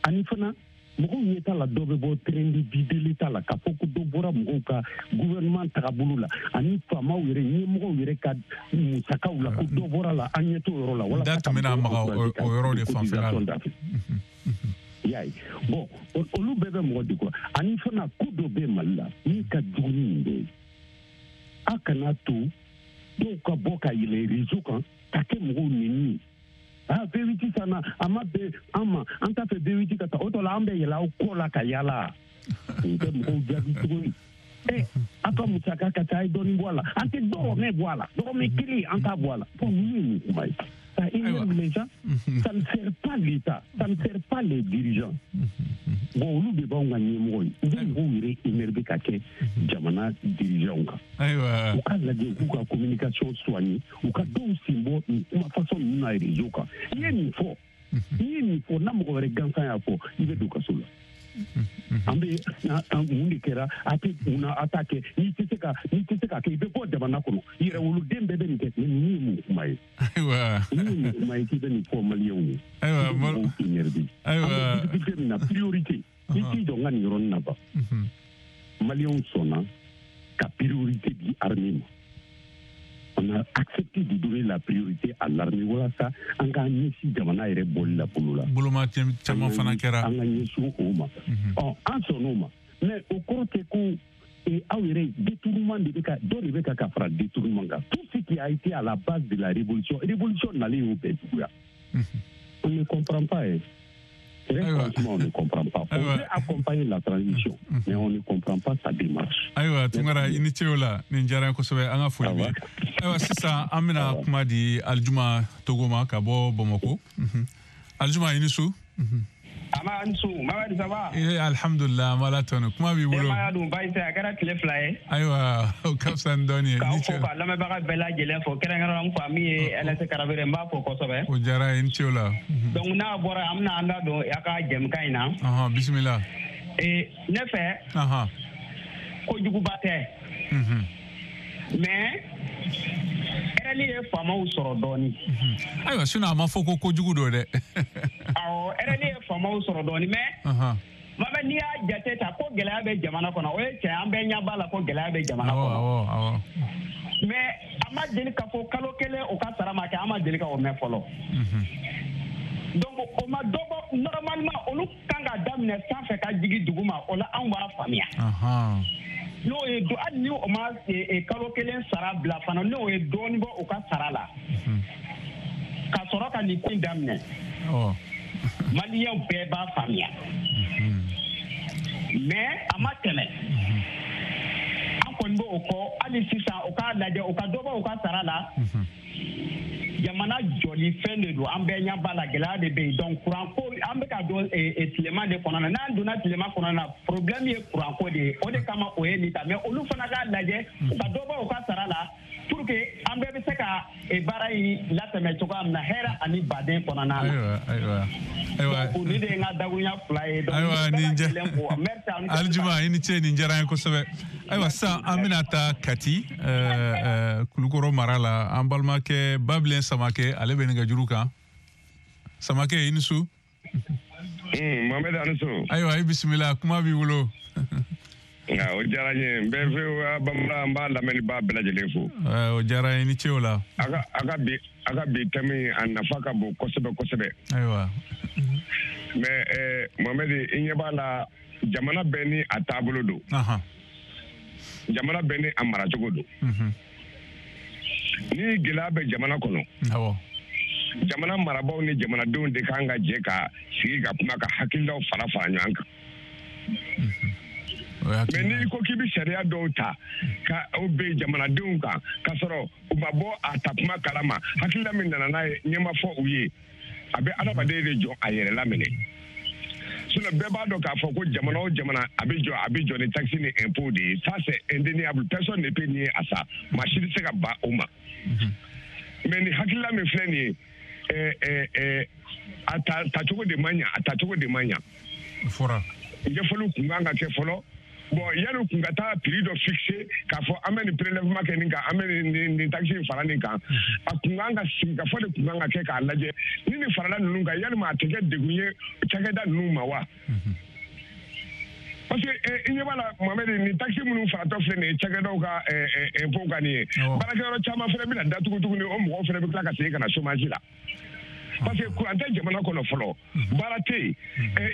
Ani fana, mɔgɔw ɲɛ t'a la, dɔ bɛ bɔ train de vie de l'État la, k'a fɔ ko dɔ bɔra mɔgɔw ka gouvernement tagabolo la, ani faamaw yɛrɛ, ɲɛmɔgɔw yɛrɛ ka musakaw la, ko dɔ bɔra la. An ɲɛ t'o yɔrɔ la. Walasa da tun bɛna maga o yɔrɔ de fanfɛla la. I y'a ye, bon, olu bɛɛ bɛ mɔgɔ degun. Ani fana, ko dɔ bɛ Mali la min ka jugu ni nin bɛɛ ye: a kana to dɔw ka bɔ ka yɛlɛ réseau kan ka kɛ mɔgɔw nɛni ye. Ah, V8 sanna, a ma bɛn an ma, an t'a fɛ V8 ka taa. O tɔ la, an bɛ yɛlɛ aw kɔ la ka yala. Nin tɛ mɔgɔw jaabi cogo ye. Aw ka musaka ka ca, a ye dɔɔnin bɔ a la. An tɛ dɔrɔmɛ bɔ a la, dɔrɔmɛ kelen an t'a bɔ a la. Bon, ninnu ye mun kuma ye? Ça énerve les gens, ça ne sert pas l'État, ça ne sert pas les dirigeants. Bon, olu de b'anw ka ɲɛmɔgɔ ye, u bɛ mɔgɔw yɛrɛ énerver ka kɛ jamana dirigeants kan. U ka lajɛ, u k'u ka communication soigner, u ka dɔw sen bɔ nin kuma façon ninnu na réseau kan. I ye nin fɔ, n'i ye nin fɔ, n'a mɔgɔ wɛrɛ gansan y'a fɔ, i bɛ don kaso la. An bɛ mun de kɛra a tɛ mun na a t'a kɛ n'i tɛ se ka kɛ i bɛ bɔ jamana kɔnɔ yɛrɛwoloden bɛɛ bɛ nin kɛ nin ye mun kuma ye. Ayiwa nin ye mun kuma ye k'i bɛ nin fɔ maliyɛnw ye. Ayiwa mɔgɔw k'i énervé. Ayiwa an bɛ difficulté min na priorité. I t'i jɔ n ka nin yɔrɔnin na ban. Maliyɛnw sɔnna ka priorité di armée ma. On a accepté de donner la priorité à l'armée walasa an k'an ɲɛsin jamana yɛrɛ bɔli la bolo la. Boloma caman fana kɛra. An ka ɲɛsin o ma. Ɔ an sɔnn'o ma mais o kɔrɔ tɛ ko aw yɛrɛ détournement de bɛ ka dɔ de bɛ ka fara détournement kan. Tout ce qui a été à la base de la révolution révolution nalen y'o bɛɛ juguya. On ne comprend pas. Très franchement, on ne comprend pas. On veut accompagner la transition, mais on ne comprend pas sa démarche. Ayiwa Tunkara i ni ce o la nin diyara n ye kosɛbɛ an ka foli b'i ye. Ayiwa sisan an bɛna kuma di Alijuma Togo ma ka bɔ Bamakɔ. Alijuma i ni su. Ama ni su Mamadi ça va? Alhamdulillah an b'Ala tanu kuma b'i bolo. Denbaya dun baasi tɛ a kɛra tile 2 ye. Ayiwa o ka fisa ni dɔɔnin ye. K'aw fo ka lamɛnbaga bɛɛ lajɛlen fo kɛrɛnkɛrɛnnenya n fa min ye LS Karabere n b'a fo kosɛbɛ. O diyara n ye i ni ce o la. Donc n'a bɔra an bɛna an da don a ka jɛmukan in na. Bisimila. Ne fɛ. Kojuguba tɛ. Mais RL ye faamaw sɔrɔ dɔɔnin. Ayiwa sinon a ma fɔ ko kojugu don dɛ. Awɔ RL ye faamaw sɔrɔ dɔɔnin mais. Mama n'i y'a jate ta ko gɛlɛya bɛ jamana kɔnɔ o ye tiɲɛ an bɛɛ ɲɛ b'a la ko gɛlɛya bɛ jamana kɔnɔ. Awɔ. Mais a ma deli ka fɔ kalo kelen o ka sara ma kɛ an ma deli ka o mɛn fɔlɔ. Donc o ma dɔ bɔ normalement olu kan ka daminɛ sanfɛ ka jigin duguma o la anw b'a faamuya. N'o ye hali ni o ma kalo kelen sara bila fana n'o ye dɔɔnin bɔ u ka sara la. Ka sɔrɔ ka nin ko in daminɛ. Maliyɛnw bɛɛ b'a faamuya. Mais a ma tɛmɛ. An kɔni b'o kɔ hali sisan u k'a lajɛ u ka dɔ bɔ u ka sara la. Jamana jɔli fɛn de don an bɛɛ ɲɛ b'a la gɛlɛya de bɛ yen donc courant ko an bɛ ka don tilema de kɔnɔ na n'an donna tilema kɔnɔ na problème ye courant ko de ye o de kama o ye nin ta mais olu fana k'a lajɛ u ka dɔ bɔ u ka sara la pour que an bɛɛ bɛ se ka baara in latɛmɛ cogoya min na hɛrɛ ani baden kɔnɔna na. Ayiwa. Donc nin de ye n ka dakuruɲa 2 ye. Ayiwa nin Alijuma i ni ce nin diyara n ye kosɛbɛ. Ayiwa sisan an bɛna taa Kati Kulukɔrɔ mara la an balimakɛ Babilen Samakɛ ale bɛ nɛgɛjuru kan. Samakɛ i ni su. Mohamed a ni su. Ayiwa i bisimila kuma b'i bolo. Nka o diyara n ye n bɛ VOA bamanan n b'a lamɛnniba bɛɛ lajɛlen fo. O diyara n ye i ni ce o la. A ka bi thème a nafa ka bon kosɛbɛ kosɛbɛ. Ayiwa. Mais Mohamed i ɲɛ b'a la jamana bɛɛ ni a taabolo don. Jamana bɛɛ ni a maracogo don. Ni gɛlɛya bɛ jamana kɔnɔ. Awɔ. Jamana marabaaw ni jamanadenw de kan ka jɛ ka sigi ka kuma ka hakililaw fara fara ɲɔgɔn kan. Mais n'i ko k'i bɛ sariya dɔw ta ka o bɛn jamanadenw kan k'a sɔrɔ u ma bɔ a ta kuma kalama hakilila min nana n'a ye ɲɛ ma fɔ u ye a bɛ adamaden de jɔ a yɛrɛ laminɛ. Sinon bɛɛ b'a dɔn k'a fɔ ko jamana o jamana a bɛ jɔ ni taxe ni impôt de ye ça c'est indéniable personne ne peut nier à ça maa si tɛ se ka ban o ma. Mais ni hakilila min filɛ nin ye a tacogo de ma ɲa a tacogo de ma ɲa. Fɔra. Ɲɛfɔliw kun kan ka kɛ fɔlɔ. Bon yanni kun ka taa prix dɔ fixé k'a fɔ an bɛ nin prélèvement kɛ nin kan an bɛ nin taxe in fara nin kan a kun kan ka sigi ka fɔ de kun kan ka kɛ k'a lajɛ ni nin farala ninnu kan yalima a tɛ kɛ degun ye cakɛda ninnu ma wa. Parce que i ɲɛ b'a la Mohamed nin taxe minnu faratɔ filɛ nin ye cakɛdaw ka impôt kan nin ye baarakɛyɔrɔ caman fana bɛna datugu tuguni o mɔgɔw fana bɛ tila ka segin ka na chômage la. Parce que courant tɛ jamana kɔnɔ fɔlɔ baara tɛ yen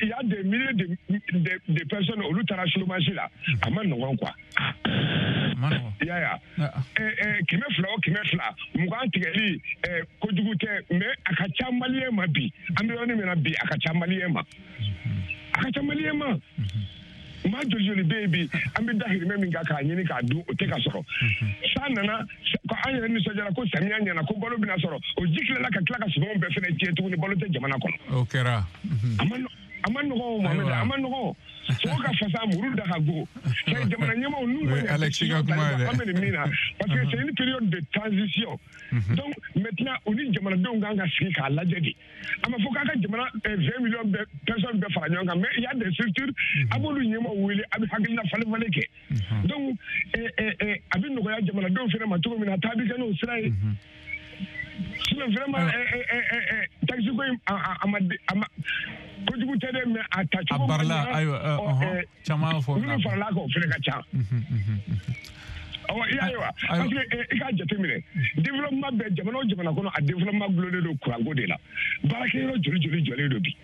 il y a des milliers de personnes olu taara chômage la a ma nɔgɔn quoi. I y'a ye wa 200 o 200 20 tigɛli kojugu tɛ mais a ka ca maliyɛn ma bi an bɛ yɔrɔ min na bi a ka ca maliyɛn ma a ka ca maliyɛn ma. Maa joli joli bɛ yen bi an bɛ dahirimɛ min kan k'a ɲini k'a dun o tɛ ka sɔrɔ. San nana ko an yɛrɛ nisɔndiyara ko samiya ɲɛna ko balo bɛna sɔrɔ o ji tilala ka tila ka sumanw bɛɛ fɛnɛ tiɲɛ tuguni balo tɛ jamana kɔnɔ. O kɛra. A ma nɔgɔn o Mohamed a ma nɔgɔn. Sogo ka fasa muru da ka go. C'est jamana ɲɛmaaw n'u ma ɲa décision tali kɔ an bɛ nin min na parce que c'est une période de transition. Donc maintenant u ni jamanadenw kan ka sigi k'a lajɛ de. A ma fɔ k'a ka jamana 20 millions bɛɛ personnes bɛɛ fara ɲɔgɔn kan, mais il y a des structures a b'olu ɲɛmaaw wele a bɛ hakilina falen falen kɛ. Donc a bɛ nɔgɔya jamanadenw fana ma cogo min na taa bɛ kɛ n'o sira ye. Sinon vraiment taxi ko in a ma kojugu tɛ dɛ, mais a tacogo a barila ayiwa caman fɔ minnu farala kan o fana ka ca. Awɔ i y'a ye wa, parce que i k'a jateminɛ développement bɛɛ jamana o jamana kɔnɔ a développement gulonnen don kuranko de la. Baarakɛyɔrɔ joli joli jɔlen don bi,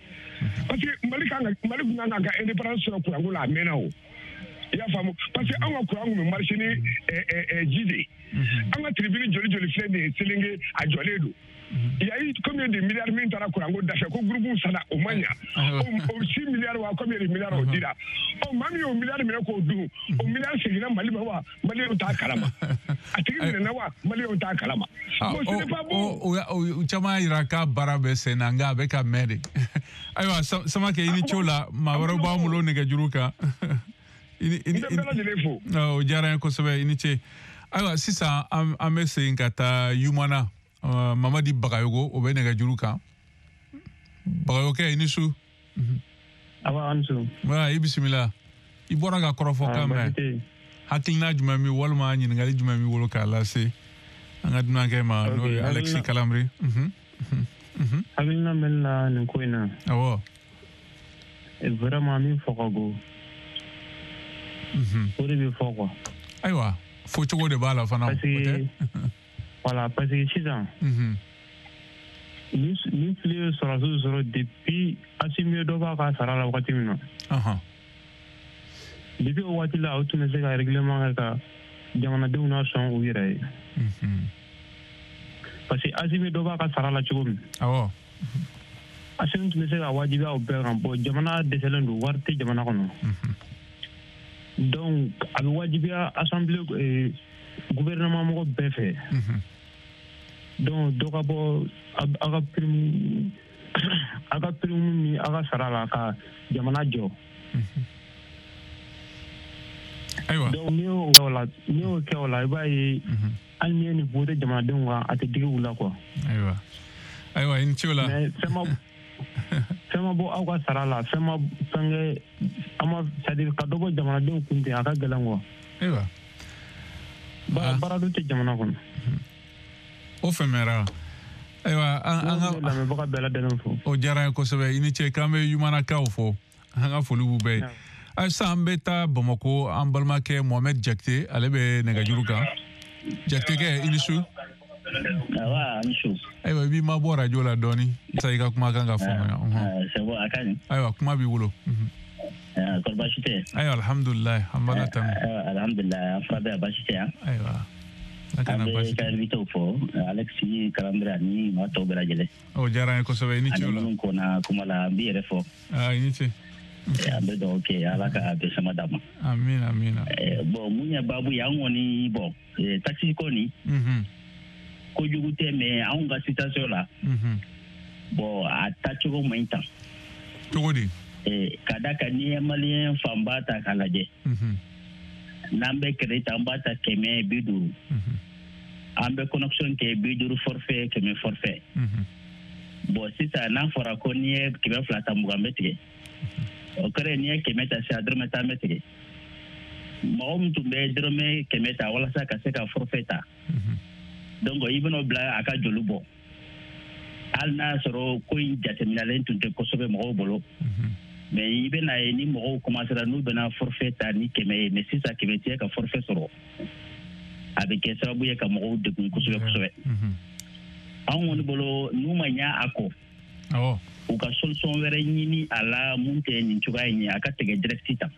parce que Mali Mali kun kan ka indépendance sɔrɔ kuranko la a mɛnna o. I y'a faamu, parce que anw ka kuran kun bɛ marché ni ji de ye. An ka tribune joli joli filɛ nin ye Selenge a jɔlen don. Il y a eu combien de milliards min taara kuranko dafɛ ko groupe sara o ma ɲa. O 6 milliards wa combien de milliards o dira. Ɔ maa min y'o milliard minɛ k'o dun, o milliard seginna Mali ma wa Maliyɛnw t'a kalama. A tigi minɛna wa Maliyɛnw t'a kalama. Bon ce n'est pas bon. O caman y'a jira k'a baara bɛ sen na nka a bɛ ka mɛn de. Ayiwa Samakɛ i ni ce o la, maa wɛrɛw b'an bolo nɛgɛjuru kan. O diyara n ye kosɛbɛ, i ni ce. Ayiwa sisan an bɛ segin ka taa Yumana. Mamadi Bagayogo o bɛ nɛgɛjuru kan. Bagayokɛ i ni su. Awa an su. Voilà, i bisimila. I bɔra ka kɔrɔfɔkan mɛn. Hakilina jumɛn b'i walima ɲininkali jumɛn b'i bolo k'a lase an ka dunankɛ ma n'o ye Alexis Kalamri. Hakilina bɛ ne la nin ko in na. Awɔ. Vraiment min fɔ ka go. O de bɛ fɔ quoi. Ayiwa fɔcogo de b'a la fana. Parce que voilà, parce que sisan. Nin fili ye sɔrɔdasiw sɔrɔ depuis Assimi ye dɔ b'a ka sara la wagati min na. Depuis o waati la o tun bɛ se ka règlement kɛ ka jamanadenw nasɔn u yɛrɛ ye. Parce que Assimi dɔ b'a ka sara la cogo min. Awɔ. Assimi tun bɛ se ka wajibiya o bɛɛ kan. Bon jamana dɛsɛlen don, wari tɛ jamana kɔnɔ. Donc a bɛ wajibiya assemblée gouvernement mɔgɔ bɛɛ fɛ. Donc dɔ ka bɔ aw ka prime ni aw ka sara la ka jamana jɔ. Ayiwa. Donc n'i y'o kɛ o la i b'a ye hali n'i ye nin voté jamanadenw kan a tɛ digi u la quoi. Ayiwa. Ayiwa i ni ce o la. Mais fɛn ma bɔ aw ka sara la, fɛn ma fɛnkɛ an ma c'est à dire ka dɔ bɔ jamanadenw kun ten a ka gɛlɛn quoi. Ayiwa. Baara dun tɛ jamana kɔnɔ. O faamuyara. Ayiwa an ka lamɛnbaga bɛɛ lajɛlen fo. O diyara n ye kosɛbɛ, i ni ce. K'an bɛ Yumanakaw fo, an ka foli b'u bɛɛ ye. Ayi sisan an bɛ taa Bamakɔ, an balimakɛ Mohamed Jakite ale bɛ nɛgɛjuru kan. Jakitekɛ i ni su. Awa ni su. Ayiwa i b'i mabɔ radio la dɔɔni sa i ka kumakan ka faamuya. C'est bon, a ka ɲi. Ayiwa kuma b'i bolo. Kɔri baasi tɛ? Ayiwa alhamdulilayi an b'Ala tanu. Alhamdulilayi an fura bɛ yan baasi tɛ yan. Ayiwa. An bɛ ka invité fo Alexis Kalambre ani maa tɔw bɛɛ lajɛlen. O diyara n ye kosɛbɛ, i ni ce o la. Ani minnu kɔnna kuma la an b'i yɛrɛ fɔ. I ni ce. An bɛ dugawu kɛ Ala ka bɛn sama d'a ma. Amina amina. Bon mun ye baabu ye an kɔni bon taxi ko nin. Kojugu tɛ mais anw ka situation la. Bon a taacogo man ɲi tan. Cogo di? Ka d'a kan n'i ye maliyɛn fanba ta k'a lajɛ. N'an bɛ crédit ta an b'a ta 150. An bɛ connexion kɛ 50 forfait 100 forfait. Bon sisan n'a fɔra ko n'i ye 200 ta 20 bɛ tigɛ. O kɛra n'i ye 100 ta sisan dɔrɔmɛ 10 bɛ tigɛ. Mɔgɔ min tun bɛ dɔrɔmɛ 100 ta walasa ka se ka forfait ta. Donc i bɛn'o bila a ka joli bɔ. Hali n'a y'a sɔrɔ ko in jateminɛlen tun tɛ kosɛbɛ mɔgɔw bolo. Mais i bɛna ye ni mɔgɔw commencera n'u bɛna forfait ta ni 100 ye mais sisan 100 tɛ ka forfait sɔrɔ. A bɛ kɛ sababu ye ka mɔgɔw degun kosɛbɛ kosɛbɛ. Anw kɔni bolo n'u ma ɲɛ a kɔ. U ka solution wɛrɛ ɲini a la mun tɛ nin cogoya in ye a ka tigɛ direct ta.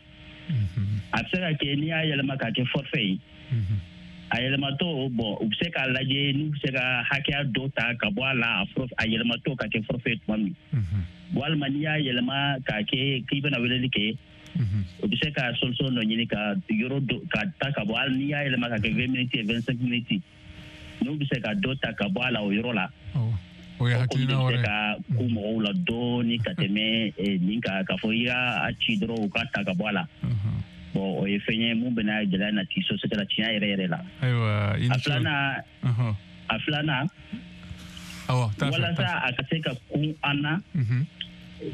A bɛ se ka kɛ n'i y'a yɛlɛma k'a kɛ forfait ye. A yɛlɛmatɔ bon u bɛ se k'a lajɛ n'u bɛ se ka hakɛya dɔ ta ka bɔ a la a yɛlɛmatɔ ka kɛ forfait tuma min. Walima n'i y'a yɛlɛma k'a kɛ k'i bɛna weleli kɛ. O bɛ se ka solution dɔ ɲini ka yɔrɔ dɔ ka ta ka bɔ hali n'i y'a yɛlɛma ka kɛ 20 minutes 25 minutes n'u bɛ se ka dɔ ta ka bɔ a la o yɔrɔ la. O ye hakilina wɛrɛ ye. Ka ku mɔgɔw la dɔɔni ka tɛmɛ nin kan, k'a fɔ i y'a ci dɔrɔn u ka ta ka bɔ a la. Bon, o ye fɛn ye mun bɛna gɛlɛya nati société la tiɲɛ yɛrɛ yɛrɛ la. Ayiwa, i ni ce. A filanan. Awɔ, taa fɛ. Walasa a ka se ka kun an na.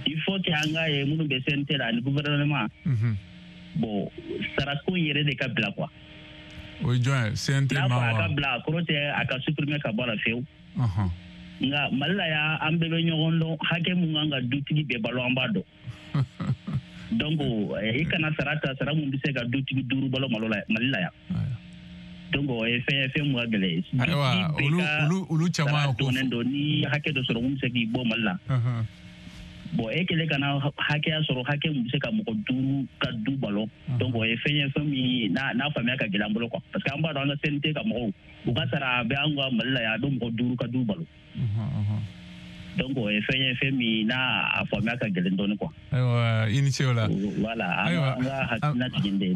Il faut que an ka ye minnu bɛ CNT la ani gouvernement. Bon, sarako in yɛrɛ de ka bila quoi. O ye jɔn ye? CNT ma wa? N'a fɔ a ka bila, a kɔrɔ tɛ a ka supprimer ka bɔ a la fiyewu. Nka Mali la yan, an bɛɛ bɛ ɲɔgɔn dɔn, hakɛ mun kan ka dutigi bɛɛ balo, an b'a dɔn. Donc i kana sara ta, sara mun bɛ se ka dutigi 5 balo Mali la yan. Donc o ye fɛn ye, fɛn mun ka gɛlɛn. Ayiwa, olu caman ko dɔnnen don, ni hakɛ dɔ sɔrɔ mun bɛ se k'i bɔ Mali la. Bon, e kɛlen ka na hakɛya sɔrɔ, hakɛ mun bɛ se ka mɔgɔ 5 ka du balo. Donc o ye fɛn ye, fɛn min n'a faamuya ka gɛlɛn an bolo quoi. Parce que an b'a dɔn an ka CNT ka mɔgɔw, u ka sara a bɛ an ka Mali la yan, a bɛ mɔgɔ 5 ka du balo. Donc o ye fɛn ye, fɛn min n'a a faamuya ka gɛlɛn dɔɔni quoi. Ayiwa, i ni ce o la. Voilà, an ka hakilina jigin de ye.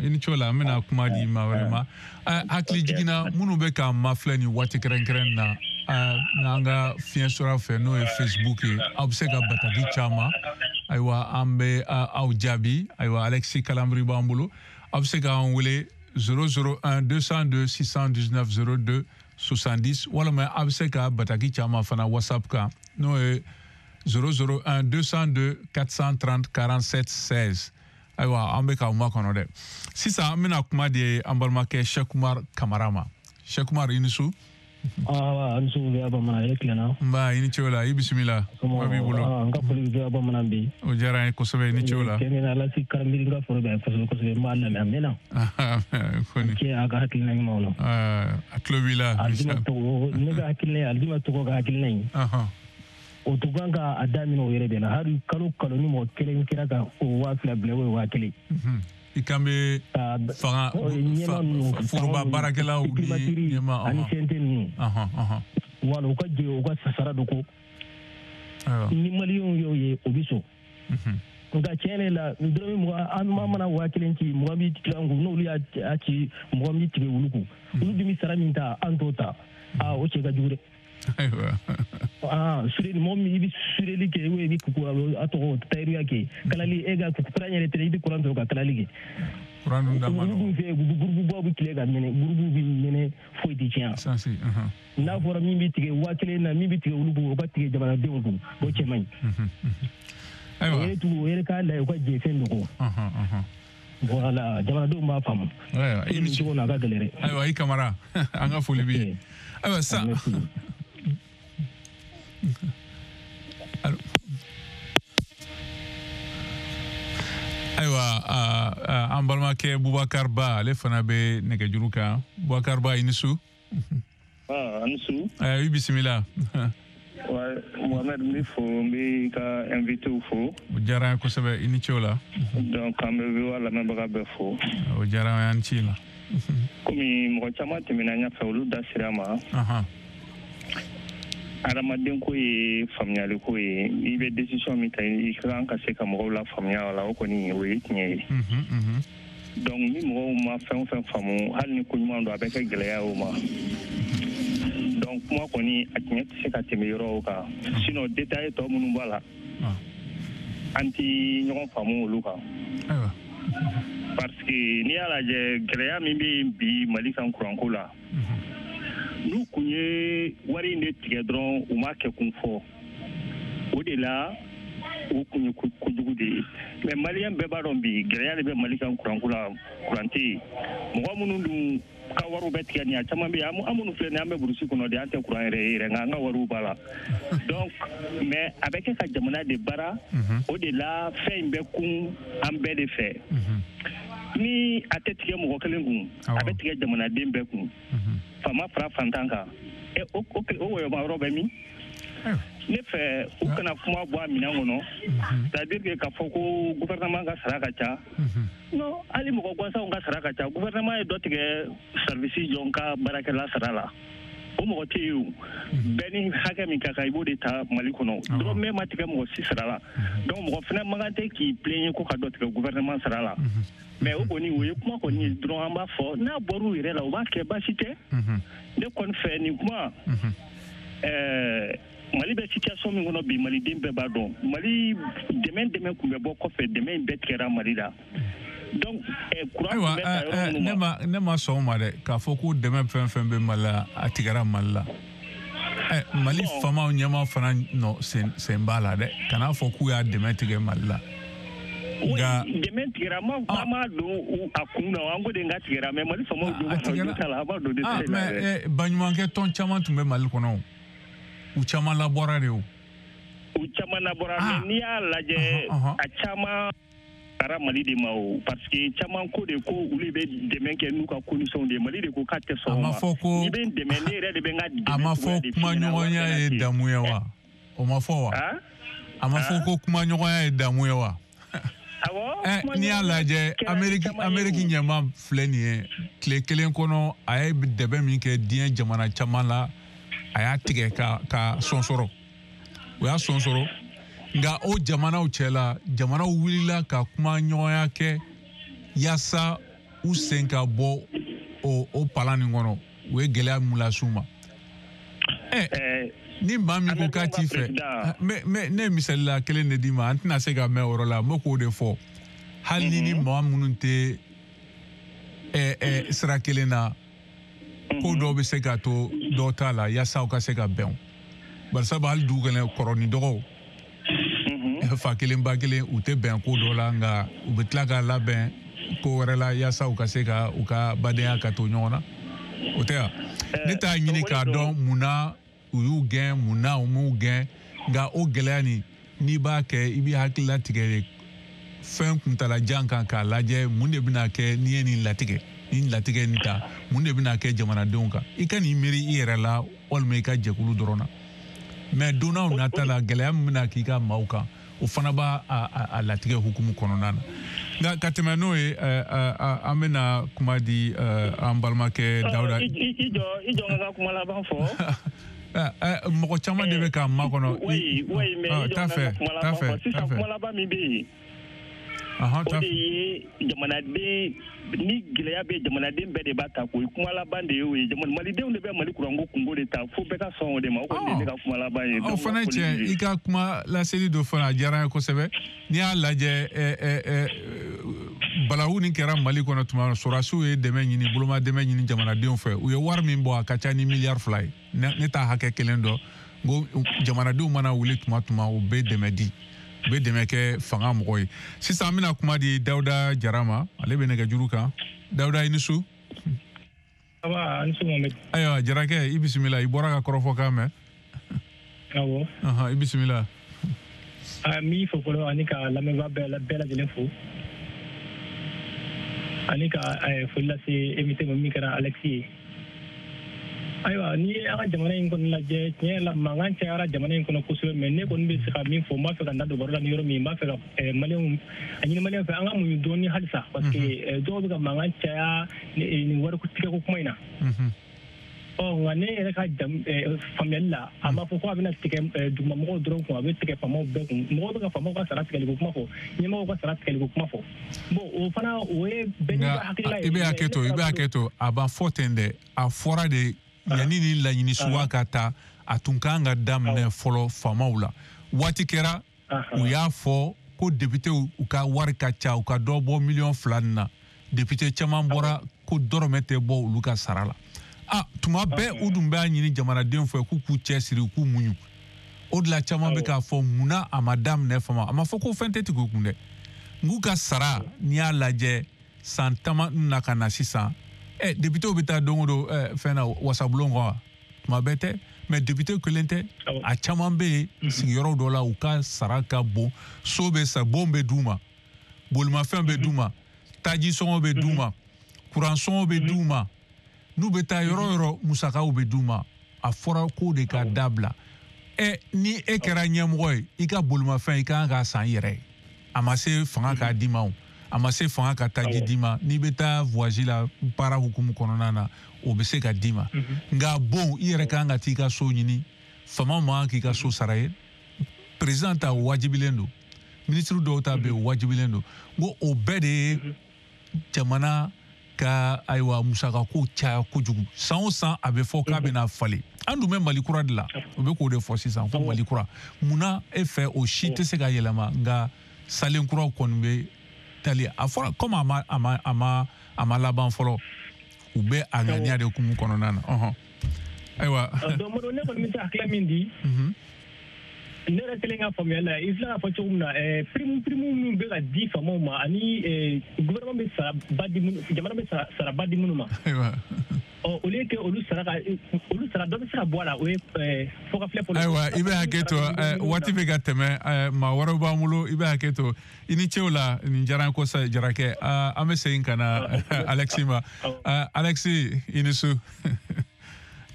I ni ce o la, an bɛna kuma di maa wɛrɛ ma. Hakili jiginna minnu bɛ k'an mafilɛ nin waati kɛrɛnkɛrɛn na, n'an ka fiɲɛ sɔrɔ fɛ, n'o ye Facebook ye, aw bɛ se ka bataki caman. Ayiwa, an bɛ aw jaabi. Ayiwa, Alexis Kalambry b'an bolo. Aw bɛ se k'an wele 001 202 619 02 70, walima a bɛ se ka bataki caman fana WhatsApp kan, n'o ye 001 202 430 47 16. Ayiwa, an bɛ k'aw makɔnɔ dɛ. Sisan an bɛna kuma di an balimakɛ Cheikh Oumar Kamara ma. Cheikh Oumar, i ni su. Awa, an su bɛ bamanan yɛrɛ tilenna. Nba, i ni ce o la, i bisimila. Kuma b'i bolo. N ka foli bɛ bamanan bi. O diyara n ye kosɛbɛ, i ni ce o la. Cɛ min Alasi Karamiri, n ka foli bɛ kosɛbɛ kosɛbɛ, n b'a lamɛn a mɛnna. Kɔni. Cɛ a ka hakilina ɲumanw na. A tulo b'i la. Alijima tɔgɔ, ne ka hakilina ye, Alijima tɔgɔ ka hakilina ye. O tun kan ka a daminɛ o yɛrɛ de la, hali kalo kalo ni mɔgɔ kelen kɛra ka o 2000 bila, o ye 1000. I kan bɛ fanga foroba baarakɛlaw ni ɲɛmaa ani CNT ninnu. Wala u ka jɛ u ka sara dɔ ko. Ni maliyɛnw y'o ye, o bɛ sɔn. Nka tiɲɛ yɛrɛ la, dɔrɔmɛ 20, an mana 1000 ci, 20 bɛ tigɛ an kun, n'olu y'a ci, 20 bɛ tigɛ olu kun. Olu dun bɛ sara min ta, an t'o ta. Aa, o cɛ ka jugu dɛ. Ayiwa. Sureli, mɔgɔ min i bɛ sureli kɛ, i bɛ a tɔgɔ tayiriya kɛ, kalali, e ka kuran yɛrɛ tɛ, i bɛ kuran sɔrɔ ka kalali kɛ. Kuran dun da ma nɔgɔn. Olu dun fɛ gurububaw bɛ tile ka mɛnɛ, gurubu bɛ mɛnɛ, foyi tɛ tiɲɛ. Sansi. N'a fɔra min bɛ tigɛ 1000 na, min bɛ tigɛ olu kun, o ka tigɛ jamanadenw kun, o cɛ man ɲi. Ayiwa. O yɛrɛ tugu, o yɛrɛ k'a lajɛ, u ka jɛ fɛn dɔ kɔ. Voilà, jamanadenw b'a faamu. Ayiwa, i ni ce. Cogo na a ka gɛlɛn dɛ. Ayiwa, i Kamara, an ka foli b'i ye. Ayiwa, sisan. Ayiwa, an balimakɛ Bubakar Ba, ale fana bɛ nɛgɛjuru kan. Bubakar Ba, i ni su. A ni su. I bisimila. Mohamed, n b'i fo, n b'i ka invité fo. O diyara n ye kosɛbɛ, i ni ce o la. Donc an bɛ VOA lamɛnbaga bɛɛ fo. O diyara an ye, an ci la. Komi mɔgɔ caman tɛmɛna ɲɛfɛ, olu da sera a ma. Adamaden ko ye faamuyali ko ye, i bɛ décision min ta, i ka kan ka se ka mɔgɔw la faamuya o la, o kɔni o ye tiɲɛ ye. Donc ni mɔgɔw ma fɛn o fɛn faamu, hali ni ko ɲuman don, a bɛ kɛ gɛlɛya o ma. Donc kuma kɔni, a tiɲɛ tɛ se ka tɛmɛ yɔrɔ o kan. Sinon détail tɔ minnu b'a la, an ti ɲɔgɔn faamu olu kan. Parce que n'i y'a lajɛ, gɛlɛya min bɛ yen bi Mali kan kuranko la, n'u kun ye wari in de tigɛ dɔrɔn, u m'a kɛ kun fɔ, o de la o kun ye kojugu de ye. Mais maliyɛn bɛɛ b'a dɔn bi gɛlɛya de bɛ Mali kan kuranko la, kuran tɛ yen. Mɔgɔ minnu dun ka wariw bɛ tigɛ nin, a caman bɛ yen, an minnu filɛ nin ye, an bɛ burusi kɔnɔ de, an tɛ kuran yɛrɛ ye yɛrɛ, nka an ka wariw b'a la. Donc mais a bɛ kɛ ka jamana de baara, o de la fɛn in bɛ kun an bɛɛ de fɛ. Ni a tɛ tigɛ mɔgɔ kelen kun, a bɛ tigɛ jamanaden bɛɛ kun. Faama fara fantan kan, o wɔyɔma yɔrɔ bɛ min? Ne fɛ u kana kuma bɔ a minɛn kɔnɔ, c'est à dire que k'a fɔ ko gouvernement ka sara ka ca. Non, hali mɔgɔ gansanw ka sara ka ca. Gouvernement ye dɔ tigɛ service jɔn ka baarakɛla sara la, o mɔgɔ tɛ yen o. Bɛɛ ni hakɛ min ka kan, i b'o de ta Mali kɔnɔ. Dɔrɔmɛ ma tigɛ mɔgɔ si sara la. Donc mɔgɔ fana man kan tɛ k'i plaigner ko ka dɔ tigɛ gouvernement sara la. Mais o kɔni, o ye kuma kɔni ye dɔrɔn, an b'a fɔ n'a bɔr'u yɛrɛ la, u b'a kɛ, baasi tɛ. Ne kɔni fɛ nin kuma, Mali bɛ situation min kɔnɔ bi, maliden bɛɛ b'a dɔn. Mali dɛmɛ tun bɛ bɔ kɔfɛ, dɛmɛ in bɛɛ tigɛra Mali la. Donc courant tun bɛ ta yɔrɔ minnu ma. Ne ma sɔn o ma dɛ, k'a fɔ ko dɛmɛ fɛn fɛn bɛ Mali la, a tigɛra Mali la. Mali faamaw ɲɛmaa fana nɔ sen b'a la dɛ, kan'a fɔ k'u y'a dɛmɛ tigɛ Mali la. Nka dɛmɛ tigɛra, an m'a don a kun na, an ko de n ka tigɛra, mais Mali faamaw don a la, an b'a don détail la dɛ. Mais baɲumankɛ tɔn caman tun bɛ Mali kɔnɔ, u caman labɔra de o. U caman labɔra, mais n'i y'a lajɛ, a caman taara Mali de ma o, parce que caman ko de ko olu bɛ dɛmɛ kɛ n'u ka condition de ye, Mali de ko k'a tɛ sɔn o ma. A ma fɔ ko n'i bɛ n dɛmɛ, ne yɛrɛ de bɛ n ka dɛmɛ. A ma fɔ kumaɲɔgɔnya ye damu ye wa? O ma fɔ wa? A ma fɔ ko kumaɲɔgɔnya ye damu ye wa? Awɔ. N'i y'a lajɛ, Amérique ɲɛmaa filɛ nin ye, tile kelen kɔnɔ a ye dɛmɛ min kɛ diɲɛ jamana caman la, a y'a tigɛ ka sɔnsɔrɔ. O y'a sɔnsɔrɔ. Nka o jamanaw cɛ la, jamanaw wulila ka kuma ɲɔgɔnya kɛ yaasa u sen ka bɔ o palan nin kɔnɔ. U ye gɛlɛya mun las'u ma. Ni maa min ko k'a t'i fɛ, mais ne ye misali la kelen de d'i ma, an tɛna se ka mɛn o yɔrɔ la, n bɛ k'o de fɔ. Hali ni maa minnu tɛ sira kelen na, ko dɔw bɛ se ka to dɔw ta la yaasa u ka se ka bɛn. Barisabu hali dugu kɔnɔ kɔrɔ ni dɔgɔw, fa kelen ba kelen, u tɛ bɛn ko dɔ la, nka u bɛ tila ka labɛn ko wɛrɛ la yaasa u ka se ka u ka badenya ka to ɲɔgɔn na. O tɛ wa? Ne t'a ɲini k'a dɔn munna u y'u gɛn, munna u m'u gɛn, nka o gɛlɛya nin, n'i b'a kɛ, i b'i hakili latigɛ de fɛn kuntalajan kan k'a lajɛ mun de bɛna kɛ n'i ye nin latigɛ, nin latigɛ nin ta, mun de bɛna kɛ jamanadenw kan. I ka n'i miiri i yɛrɛ la walima i ka jɛkulu dɔrɔn na. Mais don n'a nata la, gɛlɛya min bɛna k'i ka maaw kan, o fana b'a a latigɛ hukumu kɔnɔna na. Nka ka tɛmɛ n'o ye, an bɛna kuma di an balimakɛ Dawuda. I jɔ n ka kuma laban fɔ. Mɔgɔ caman de bɛ k'a makɔnɔ. Oui, mais i jɔ n ka kuma laban fɔ. Sisan kuma laban min bɛ yen, o de ye jamanaden, ni gɛlɛya bɛ jamanaden bɛɛ de b'a ta k'o kuma laban de ye o ye. Malidenw de bɛ Mali kuranko kungo de ta, fo bɛɛ ka sɔn o de ma. O kɔni ye ne ka kuma laban ye. O fana tiɲɛ, i ka kuma laseli dɔ fana a diyara n ye kosɛbɛ. N'i y'a lajɛ, balawu nin kɛra Mali kɔnɔ tuma min, sɔrɔdasiw ye dɛmɛ ɲini, boloma dɛmɛ ɲini jamanadenw fɛ. U ye wari min bɔ, a ka ca ni miliyari 2 ye. Ne t'a hakɛ kelen dɔn. N ko jamanadenw mana wuli tuma, u bɛ dɛmɛ di. U bɛ dɛmɛ kɛ fanga mɔgɔ ye. Sisan an bɛna kuma di Dawuda Jara ma, ale bɛ nɛgɛjuru kan. Dawuda, i ni su. Ayiwa Jarakɛ, i bisimila, i bɔra ka kɔrɔfɔkan mɛn. Awɔ. I bisimila. N b'i fo fɔlɔ ani ka lamɛnbaa bɛɛ lajɛlen fo. Ani ka foli lase invité ma min kɛra Alexis ye. Ayiwa, n'i ye an ka jamana in kɔni lajɛ, tiɲɛ yɛrɛ la mankan cayara jamana in kɔnɔ kosɛbɛ, mais ne kɔni bɛ se ka min fɔ, n b'a fɛ ka n da don baro la ni yɔrɔ min, n b'a fɛ ka maliyɛnw a ɲini maliyɛnw fɛ an ka muɲu dɔɔni halisa, parce que dɔw bɛ ka mankan caya nin wari tigɛko kuma in na. Ɔ nka ne yɛrɛ ka faamuyali la, a ma fɔ ko a bɛna tigɛ dugumamɔgɔw dɔrɔn kun, a bɛ tigɛ faamaw bɛɛ kun. Mɔgɔw bɛ ka faamaw ka sara tigɛliko kuma fɔ, ɲɛmɔgɔw ka sara tigɛliko kuma fɔ. Bon, o fana o ye bɛɛ n'i ka hakilila ye. I bɛ hakɛ to, i bɛ hakɛ to, a b'a fɔ ten dɛ, a fɔra de. Yanni ni laɲini suguya ka taa, a tun kan ka daminɛ fɔlɔ faamaw la. Waati kɛra, u y'a fɔ ko députéw u ka wari ka ca, u ka dɔ bɔ miliyɔn 2 nin na. Député caman bɔra ko dɔrɔmɛ tɛ bɔ olu ka sara la. Tuma bɛɛ u dun b'a ɲini jamanadenw fɛ k'u k'u cɛsiri, u k'u muɲu. O de la caman bɛ k'a fɔ munna a ma daminɛ faama. A ma fɔ ko fɛn tɛ tigɛ u kun dɛ. N k'u ka sara, n'i y'a lajɛ san 10 na ka na sisan, député bɛ taa don o don fɛn na wasabulon kɔnɔ wa? Tuma bɛɛ tɛ, mais député kelen tɛ, a caman bɛ yen sigiyɔrɔ dɔ la u ka sara ka bon, so bɛ sa, bon bɛ d'u ma, bolimafɛn bɛ d'u ma, taji sɔngɔ bɛ d'u ma, kuran sɔngɔ bɛ d'u ma, n'u bɛ taa yɔrɔ o yɔrɔ musakaw bɛ d'u ma. A fɔra k'o de ka dabila. Ni e kɛra ɲɛmɔgɔ ye, i ka bolimafɛn i ka kan k'a san i yɛrɛ ye. A ma se fanga k'a d'i ma o. A ma se fanga ka taji d'i ma. N'i bɛ taa voyage la baara hukumu kɔnɔna na, o bɛ se ka d'i ma. Nka bon, i yɛrɛ kan ka t'i ka so ɲini, faama man kan k'i ka so sara ye. Président ta wajibilen don, ministre dɔw ta bɛ yen wajibilen don. N ko o bɛɛ de ye jamana ka ayiwa musakako caya kojugu. San o san a bɛ fɔ k'a bɛna falen. An dun bɛ Mali kura de la, u bɛ k'o de fɔ sisan ko Mali kura. Munna e fɛ o si tɛ se ka yɛlɛma, nka salen kuraw kɔni bɛ tali? A fɔra komi a ma laban fɔlɔ, u bɛ a ŋaniya de hukumu kɔnɔna na. Ayiwa. Donc ne kɔni bɛ se hakilina min di, ne yɛrɛ kelen ka faamuya la, i filɛ k'a fɔ cogo min na, prime minnu bɛ ka di faamaw ma ani gouvernement bɛ sara ba di minnu, jamana bɛ sara ba di minnu ma. Ɔ au lieu que olu sara dɔ bɛ se ka bɔ a la, o ye fɔkafilɛ fɔlɔ. Ayiwa, i bɛ hakɛ to, waati bɛ ka tɛmɛ, maa wɛrɛw b'an bolo, i bɛ hakɛ to. I ni ce o la, nin diyara n kosɛbɛ Jarakɛ. An bɛ segin ka na Alexis ma. Alexis, i ni su.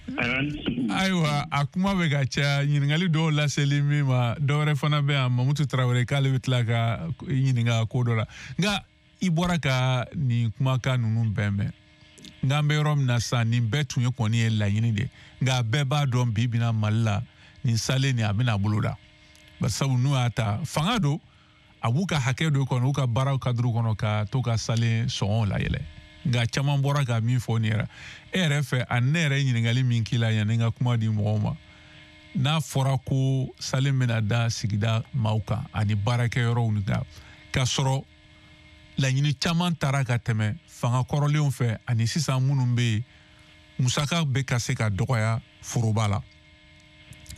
Ayiwa, a kuma bɛ ka caya, ɲininkali dɔw laseli min ma, dɔ wɛrɛ fana bɛ yan, Mamutu Tarawele, k'ale bɛ tila ka ɲininka ko dɔ la. Nka i bɔra ka nin kumakan ninnu bɛɛ mɛn. Nka an bɛ yɔrɔ min na sisan, nin bɛɛ tun ye kɔni ye laɲini de, nka bɛɛ b'a dɔn bi bi na Mali la, nin salen nin a bɛna bolo da. Barisabu n'u y'a ta, fanga don, a b'u ka hakɛ dɔ kɔnɔ, u ka baaraw kaduru kɔnɔ ka to ka salen sɔngɔw layɛlɛ. Nka caman bɔra ka min fɔ nin yɛrɛ, e yɛrɛ fɛ, ani ne yɛrɛ ye ɲininkali min k'i la yanni n ka kuma di mɔgɔw ma, n'a fɔra ko salen bɛna da sigida maaw kan ani baarakɛyɔrɔw ni kan, k'a sɔrɔ laɲini caman taara ka tɛmɛ fanga kɔrɔlenw fɛ ani sisan minnu bɛ yen, musaka bɛ ka se ka dɔgɔya foroba la,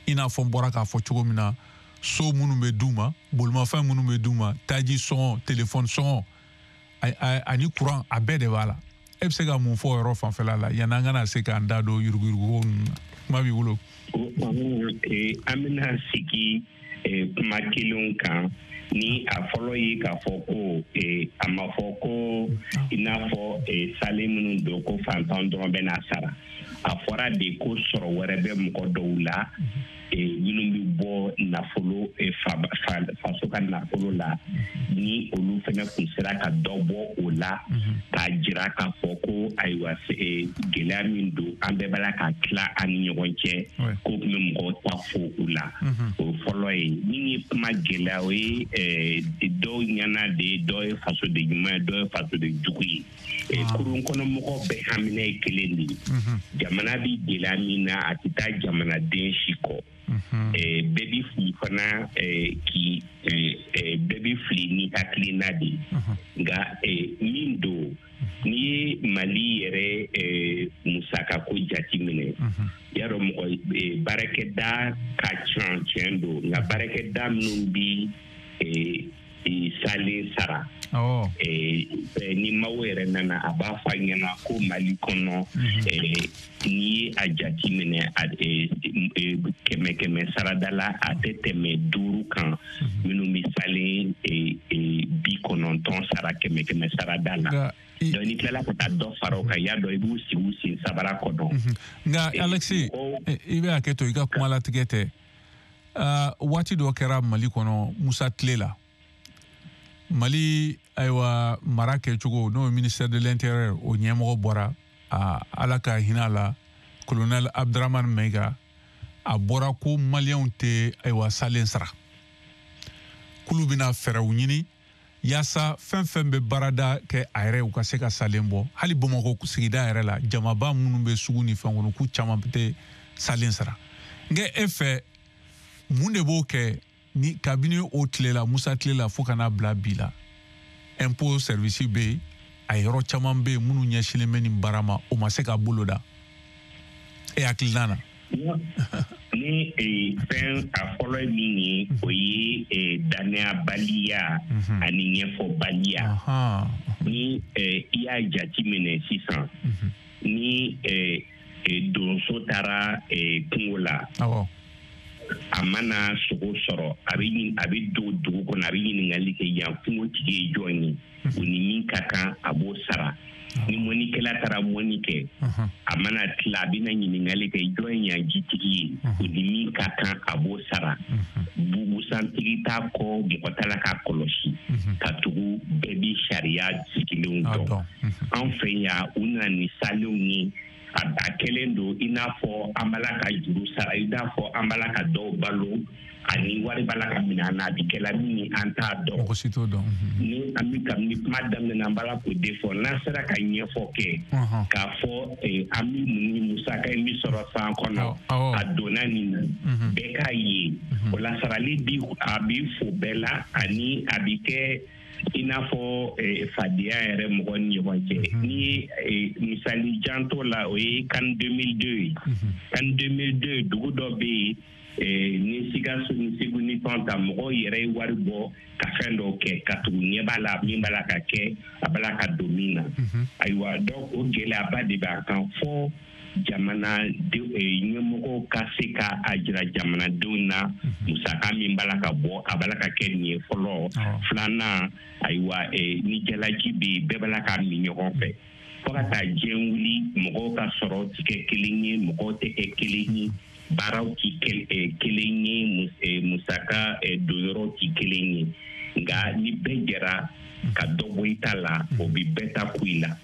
i n'a fɔ n bɔra k'a fɔ cogo min na, so minnu bɛ d'u ma, bolimafɛn minnu bɛ d'u ma, taji sɔngɔ, telefɔni sɔngɔ ani kuran, a bɛɛ de b'a la. E bɛ se ka mun fɔ o yɔrɔ fanfɛla la yanni an kana se k'an da don yuruguyuruguko ninnu na? Kuma b'i bolo. An bɛna sigi kuma kelenw kan. Ni a fɔlɔ ye k'a fɔ ko a ma fɔ ko i n'a fɔ salen minnu don ko fantan dɔrɔn bɛ n'a sara. A fɔra de ko sɔrɔ wɛrɛ bɛ mɔgɔ dɔw la minnu bɛ bɔ nafolo faso ka nafolo la, ni olu fana kun sera ka dɔ bɔ o la k'a jira k'a fɔ ko ayiwa gɛlɛya min don an bɛɛ b'a la ka tila an ni ɲɔgɔn cɛ, ko tun bɛ mɔgɔw ta fo u la. O fɔlɔ ye. Min ye kuma gɛlɛya, o ye dɔw ɲɛna de ye, dɔw ye fasoden ɲuman ye, dɔw ye fasoden jugu ye. Kurun kɔnɔ mɔgɔw bɛɛ hamina ye kelen de ye. Jamana bɛ gɛlɛya min na, a tɛ taa jamanaden si kɔ. Bɛɛ bɛ fili fana, k'i bɛɛ bɛ fili ni hakilina de ye. Nka min don, n'i ye Mali yɛrɛ musakako jateminɛ, y'a dɔn mɔgɔ baarakɛda ka ca, tiɲɛ don, nka baarakɛda minnu bɛ salen sara, ni maaw yɛrɛ nana a b'a fɔ a ɲɛna ko Mali kɔnɔ, n'i ye a jateminɛ 100 sarada la, a tɛ tɛmɛ 5 kan minnu bɛ salen 90 sara 100 sarada la. Donc n'i tilala ka taa dɔ fara o kan, y'a dɔn i b'u sigi u sen sabara kɔnɔ. Nka Alexis, i bɛ hakɛ to i ka kuma latigɛ tɛ. Waati dɔ kɛra Mali kɔnɔ, Musa tile la, Mali ayiwa mara kɛcogo, n'o ye ministère de l'intérieur, o ɲɛmɔgɔ bɔra, Ala ka hinɛ la, colonel Abdramane Maïga, a bɔra ko maliyɛnw tɛ ayiwa salen sara, k'olu bɛna fɛɛrɛw ɲini yaasa fɛn fɛn bɛ baarada kɛ a yɛrɛ u ka se ka salen bɔ. Hali Bamakɔ sigida yɛrɛ la, jamaba minnu bɛ sugu ni fɛn kɔnɔ, k'u caman tɛ salen sara. Nka e fɛ, mun de b'o kɛ ni kabini o tile la, Musa tile la, fo ka n'a bila bi la, impôt service bɛ yen, a yɔrɔ caman bɛ yen minnu ɲɛsinlen bɛ nin baara ma, o ma se ka bolo da? E hakilina na? Ni fɛn a fɔlɔ ye min ye, o ye dannayabaliya ani ɲɛfɔbaliya. Ni i y'a jateminɛ sisan, ni donso taara kungo la, a mana sogo sɔrɔ, a bɛ don dugu kɔnɔ, a bɛ ɲininkali kɛ yan kungotigi ye jɔn ye, o ni min ka kan a b'o sara. Ni mɔnikɛla taara mɔni kɛ, a mana tila, a bɛna ɲininkali kɛ jɔn ye yan jitigi ye, o ni min ka kan a b'o sara. Bugusantigi t'a kɔ, mɔgɔ t'a la k'a kɔlɔsi, ka tugu bɛɛ bi sariya sigilenw dɔn. An fɛ yan, u nana ni salenw ye, a kɛlen don i n'a fɔ an b'a la ka juru sara, i n'a fɔ an b'a la ka dɔw balo, Ani wari b'a la ka minɛ an na, a bɛ kɛla min ye, an t'a dɔn. Mɔgɔ si t'o dɔn. Ni an bɛ kabini kuma daminɛ na, an b'a la k'o de fɔ, n'an sera ka ɲɛfɔ kɛ k'a fɔ an bɛ mun ni musaka in bɛ sɔrɔ san kɔnɔ, a donna nin na, bɛɛ k'a ye. O la sarali bi a bɛ fo bɛɛ la, ani a bɛ kɛ i n'a fɔ fadenya yɛrɛ mɔgɔ ni ɲɔgɔn cɛ. Ni ye misali janto la, o ye CAN 2002 ye. CAN 2002, dugu dɔ bɛ yen ni Sikaso ni Segu ni fɛnw ta, mɔgɔw yɛrɛ ye wari bɔ ka fɛn dɔw kɛ ka tugu ɲɛ b'a la min b'a la ka kɛ, a b'a la ka don min na. Ayiwa, donc o gɛlɛyaba de b'a kan fɔ jamana ɲɛmɔgɔw ka se ka a jira jamanadenw na musaka min b'a la ka bɔ, a b'a la ka kɛ nin ye fɔlɔ. Filanan, ayiwa, ni jalaji bɛ yen, bɛɛ b'a la ka min ɲɔgɔn fɛ fo ka taa diɲɛ wuli. Mɔgɔw ka sɔrɔ tɛ kɛ kelen ye, mɔgɔw tɛ kɛ kelen ye, baaraw tɛ kelen ye, musaka donyɔrɔw tɛ kelen ye. Nka ni bɛɛ jɛra ka dɔ bɔ i ta la, o bɛ bɛɛ ta ku i la.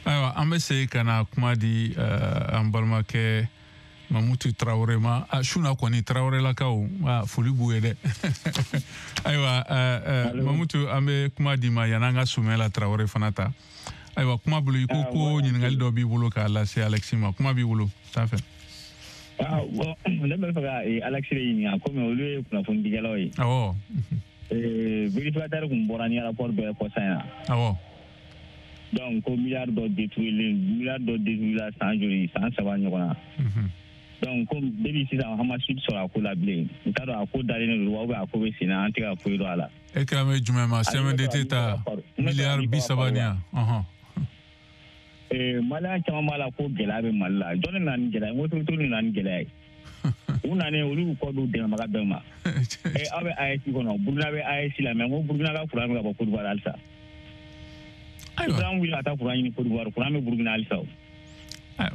Ayiwa, an bɛ segin ka na kuma di an balimakɛ Mamutu Tarawele ma. Suna kɔni, Tarawelelakaw, foli b'u ye dɛ. Ayiwa Mamutu, an bɛ kuma di ma yan'an ka Sumɛla Tarawele fana ta. Ayiwa, kuma bolo, i ko ko ɲininkali dɔ b'i bolo k'a lase Alexis ma. Kuma b'i bolo, taa fɛ. Bon, ne bɛ fɛ ka Alexis de ɲininka, komi olu ye kunnafonidikɛlaw ye. Awɔ. Vérificateur kun bɔra ni rapport bɛɛ kɔsa in na. Awɔ. Donc ko milliard dɔ détruire, milliard dɔ détruire san joli, san 3 ɲɔgɔn na. Donc comme depuis sisan an ma suite sɔrɔ a ko la bilen, n t'a dɔn a ko dalen don wa ou bien a ko bɛ sen na, an tɛ ka foyi dɔn a la. E kan bɛ jumɛn ma? CMDT ta miliyari 30 ni yan. Maliyɛn caman b'a la ko gɛlɛya bɛ Mali la. Jɔn de nana ni gɛlɛya ye? N ko autorité de nana ni gɛlɛya ye. U nanen, olu y'u kɔ don dɛmɛbaga bɛɛ ma. Aw bɛ AES kɔnɔ, Burukina bɛ AES la, mais n ko Burukina ka courant bɛ ka bɔ Côte d'Ivoire halisa. Ayiwa, wuli ka taa courant ɲini Côte d'Ivoire, courant bɛ Burukina halisa o.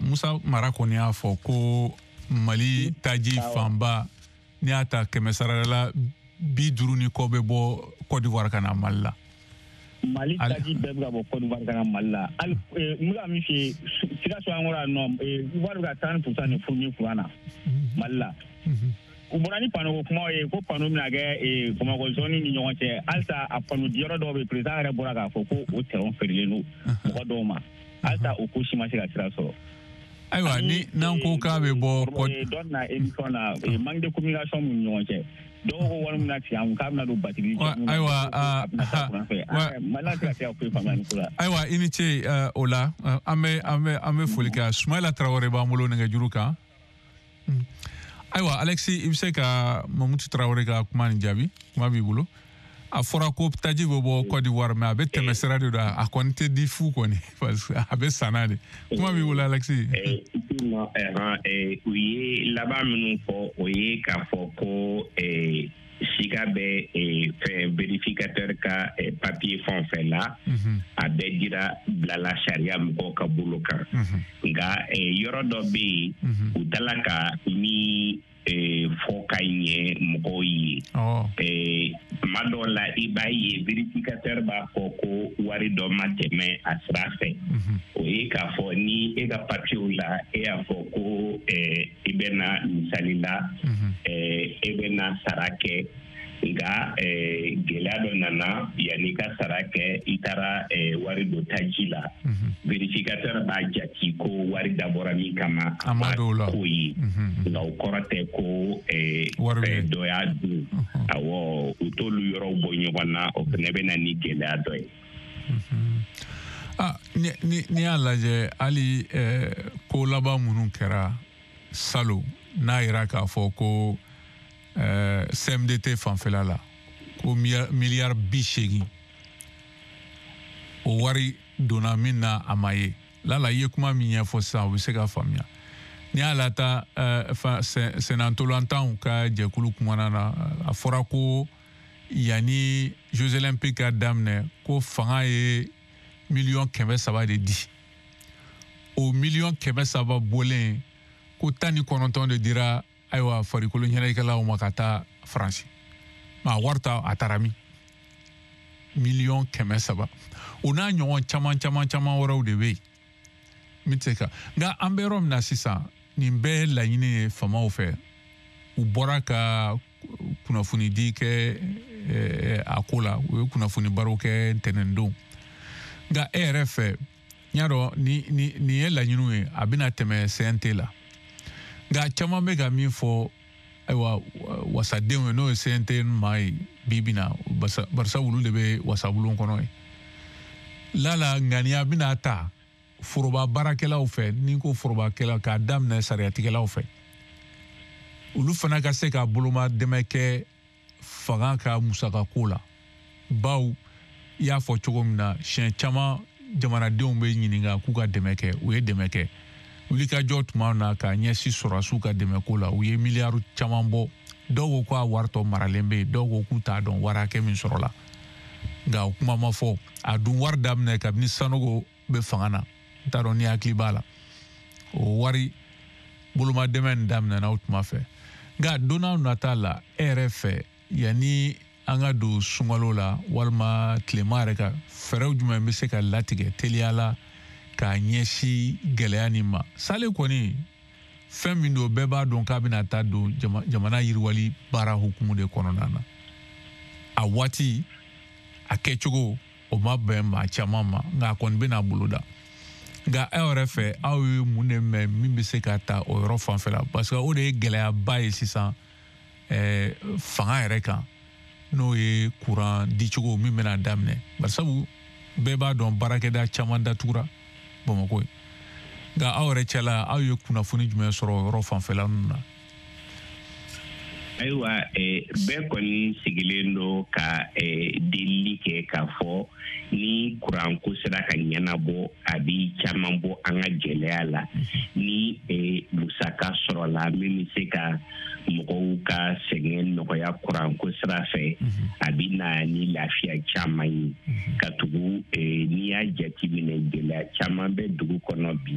Musa Mara kɔni y'a fɔ ko Mali taji fanba, n'i y'a ta 100 sara la, 50 ni kɔ bɛ bɔ Côte d'Ivoire ka na Mali la. Mali taji bɛɛ bɛ ka bɔ Côte d'Ivoire ka na Mali la. Hali n bɛ ka min f'i ye, Sikaso an kɔrɔ yan nɔ, Ivoire bɛ ka 30% de fournir courant na Mali la. U bɔra ni panneau ko kumaw ye, ko panneau bɛna kɛ Bamakɔ zone ni ɲɔgɔn cɛ. Halisa a panneau diyɔrɔ dɔw bɛ yen, président yɛrɛ bɔra k'a fɔ ko o terrain feerelen don mɔgɔ dɔw ma. Halisa o ko si ma se ka sira sɔrɔ. Ayiwa, ni n'an ko k'a bɛ bɔ dɔ na émission na, manque de communication min ni ɲɔgɔn cɛ. Dɔw ko wari min na tigɛ an kun, k'a bɛna don batiri. Ayiwa, ayiwa, i ni ce o la. An bɛ foli kɛ. Sumayila Tarawele b'an bolo nɛgɛjuru kan. Ayiwa Alexis, i bɛ se ka Mamutu Tarawele ka kuma nin jaabi? Kuma b'i bolo. A fɔra ko taji bɛ bɔ Côte d'Ivoire, mais a bɛ tɛmɛ sira de don, a kɔni tɛ di fu kɔni, parce que a bɛ sanna de. Kuma b'i bolo Alexis. U ye laban minnu fɔ, o ye k'a fɔ ko siga bɛ fɛn vérificateur ka papier fɛn o fɛn la, a bɛɛ dira bilala sariya mɔgɔw ka bolo kan. Nka yɔrɔ dɔ bɛ yen, u taala ka min fɔ ka ɲɛ mɔgɔw ye. Tuma dɔw la, i b'a ye vérificateur b'a fɔ ko wari dɔ ma tɛmɛ a sira fɛ. O ye k'a fɔ ni e ka papiyew la, e y'a fɔ ko i bɛna misali la, e bɛna sara kɛ, nka gɛlɛya dɔ nana, yanni i ka sara kɛ, i taara wari dɔ taji la. Vérificateur b'a jate ko wari dabɔra min kama, a ma k'o ye. Nka o kɔrɔ tɛ ko dɔ y'a dun. Awɔ, u t'olu yɔrɔw bɔ ɲɔgɔn na, o fana bɛ na ni gɛlɛya dɔ ye. N'i y'a lajɛ hali ko laban minnu kɛra salon, n'a yira k'a fɔ ko CMDT fanfɛla la ko miliyari 80 o wari donna min na, a ma ye. Lala, i ye kuma min ɲɛfɔ sisan, o bɛ se ka faamuya. N'i y'a lata sennantolatanw ka jɛkulu kumana na, a fɔra ko yanni Jeux olympiques ka daminɛ, ko fanga ye miliyɔn 300 de di. O miliyɔn 300 bɔlen, ko 19 de dira ayiwa farikolo ɲɛnajɛkɛlaw ma ka taa Faransi. Ma wari ta a taara min? Miliyɔn 300. O n'a ɲɔgɔn caman caman caman wɛrɛw de bɛ yen min tɛ se ka. Nka an bɛ yɔrɔ min na sisan, nin bɛɛ ye laɲini ye faamaw fɛ. U bɔra ka kunnafonidi kɛ a ko la, u ye kunnafoni baro kɛ ntɛnɛndon. Nka e yɛrɛ fɛ, n y'a dɔn nin ye laɲiniw ye, a bɛna tɛmɛ CNT la. Nka caman bɛ ka min fɔ, ayiwa, wasadenw ye, n'o ye CNT maa ye bi bi na, barisa olu de bɛ wasabulon kɔnɔ ye. Lala ŋaniya bɛna ta foroba baarakɛlaw fɛ, ni ko forobakɛla k'a daminɛ sariyatigɛlaw fɛ, olu fana ka se ka boloma dɛmɛ kɛ fanga ka musakako la. Baw i y'a fɔ cogo min na, siɲɛ caman jamanadenw bɛ ɲininka k'u ka dɛmɛ kɛ, u ye dɛmɛ kɛ. Wulikajɔ tuma na k'a ɲɛsin sɔrɔdasiw ka dɛmɛko la, u ye miliyari caman bɔ. Dɔw ko k'a wari tɔ maralen bɛ yen, dɔw ko k'u t'a dɔn wari hakɛ min sɔrɔla. Nka o kuma ma fɔ. A dun wari daminɛ kabini Sanogo bɛ fanga na, n t'a dɔn ni hakili b'a la. O wari boloma dɛmɛ nin daminɛna o tuma fɛ. Nka don n'a nata la, e yɛrɛ fɛ, yanni an ka don sunkalo la walima tilema yɛrɛ kan, fɛɛrɛw jumɛn bɛ se ka latigɛ teliya la k'a ɲɛsin gɛlɛya nin ma? Sale kɔni fɛn min don, bɛɛ b'a dɔn k'a bɛna taa don jamana yiriwali baara hukumu de kɔnɔna na. A waati, a kɛcogo, o ma bɛn maa caman ma, nka a kɔni bɛna boloda. Nka aw yɛrɛ fɛ, aw ye mun de mɛn min bɛ se ka ta o yɔrɔ fanfɛ la? Parce que o de ye gɛlɛyaba ye sisan fanga yɛrɛ kan, n'o ye kuran dicogo min bɛna daminɛ. Barisabu bɛɛ b'a dɔn baarakɛda caman datugura Bamakɔ ye. Nka aw yɛrɛ cɛla, aw ye kunnafoni jumɛn sɔrɔ o yɔrɔ fanfɛla ninnu na? Ayiwa, bɛɛ kɔni sigilen don ka delili kɛ k'a fɔ ni kuranko sera ka ɲɛnabɔ, a bɛ caman bɔ an ka gɛlɛya la. Ni musaka sɔrɔla min bɛ se ka mɔgɔw ka sɛgɛn nɔgɔya kuranko sira fɛ, a bɛ na ni lafiya caman ye. Ka tugu n'i y'a jateminɛ, gɛlɛya caman bɛ dugu kɔnɔ bi,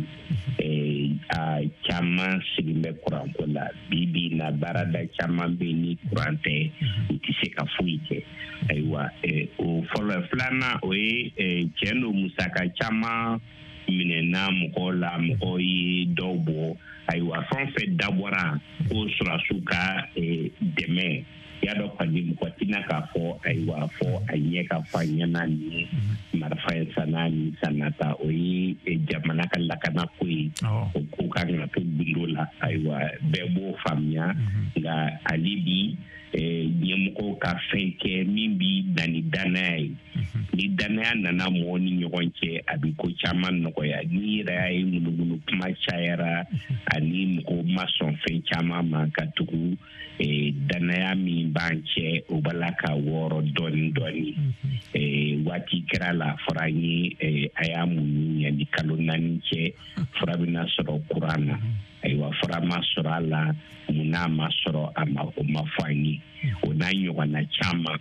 a caman sigilen bɛ kuranko la. Bi bi na, baarada caman bɛ ni kuran tɛ, u tɛ se ka foyi kɛ. Ayiwa, o fɔlɔ. Filanan, o ye tiɲɛ don, musaka caman minɛna mɔgɔw la, mɔgɔw ye dɔw bɔ. Ayiwa, fɛn o fɛn dabɔra ko sɔrɔdasiw ka dɛmɛ, y'a dɔn kɔni mɔgɔ tɛna k'a fɔ ayiwa fɔ a ɲɛ ka fɔ a ɲɛna ni marifa ye sanna ni sanna ta, o ye jamana ka lakana ko ye, o ko kan ka to gundo la. Ayiwa, bɛɛ b'o faamuya. Nka hali bi, ɲɛmɔgɔw ka fɛn kɛ min bi na ni danaya ye. Ni danaya nana mɔgɔw ni ɲɔgɔn cɛ, a bɛ ko caman nɔgɔya. N'i yɛrɛ y'a ye ŋunuŋunu kuma cayara ani mɔgɔw ma sɔn fɛn caman ma, ka tugu danaya min b'an cɛ, o b'a la ka wɔɔrɔ dɔɔni dɔɔni. Waati kɛra la, fɔra an ye a y'a muɲu yanni kalo 4 cɛ, fura bɛna sɔrɔ kuran na. Ayiwa, fura ma sɔrɔ a la, mun n'a ma sɔrɔ a ma, o ma fɔ an ye. O n'a ɲɔgɔnna caman.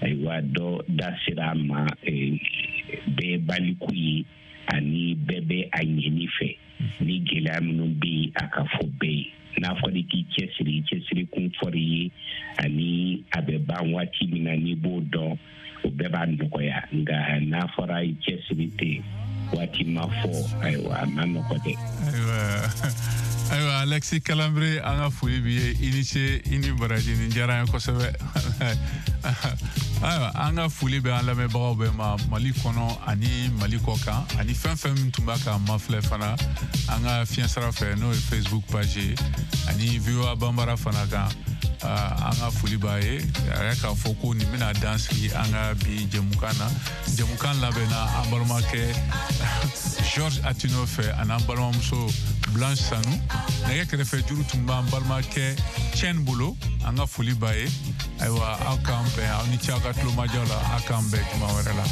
Ayiwa, dɔ da sera a ma, bɛɛ baliku ye ani bɛɛ bɛ a ɲɛni fɛ. Ni gɛlɛya minnu bɛ yen, a ka fɔ bɛɛ ye. N'a fɔra k'i cɛsiri, i cɛsiri kun fɔra i ye, ani a bɛ ban waati min na, n'i b'o dɔn, o bɛɛ b'a nɔgɔya. Nka n'a fɔra i cɛsiri tɛ, waati ma fɔ, ayiwa, a ma nɔgɔ dɛ. Ayiwa, Alexis Kalanbire, an ka foli b'i ye, i ni ce, i ni baraji, nin diyara an ye kosɛbɛ. Ayiwa, an ka foli bɛ an lamɛnbagaw bɛɛ ma Mali kɔnɔ ani Mali kɔ kan, ani fɛn fɛn min tun b'a ka mafilɛ fana an ka fiɲɛsira fɛ, n'o ye Facebook page ye ani VOA Banbara fana kan. An ka foli b'a ye. A yɛrɛ k'a fɔ ko nin bɛna dan sigi an ka bi jɛmukan na. Jɛmukan labɛnna an balimakɛ Georges Atino fɛ ani an balimamuso Blanche Sanu. Nɛgɛ kɛrɛfɛ juru tun b'an balimakɛ Tiɲɛ bolo. An ka foli b'a ye. Ayiwa, aw k'an bɛn, aw ni ce aw ka tulomajɔ la, aw k'an bɛn juma wɛrɛ la.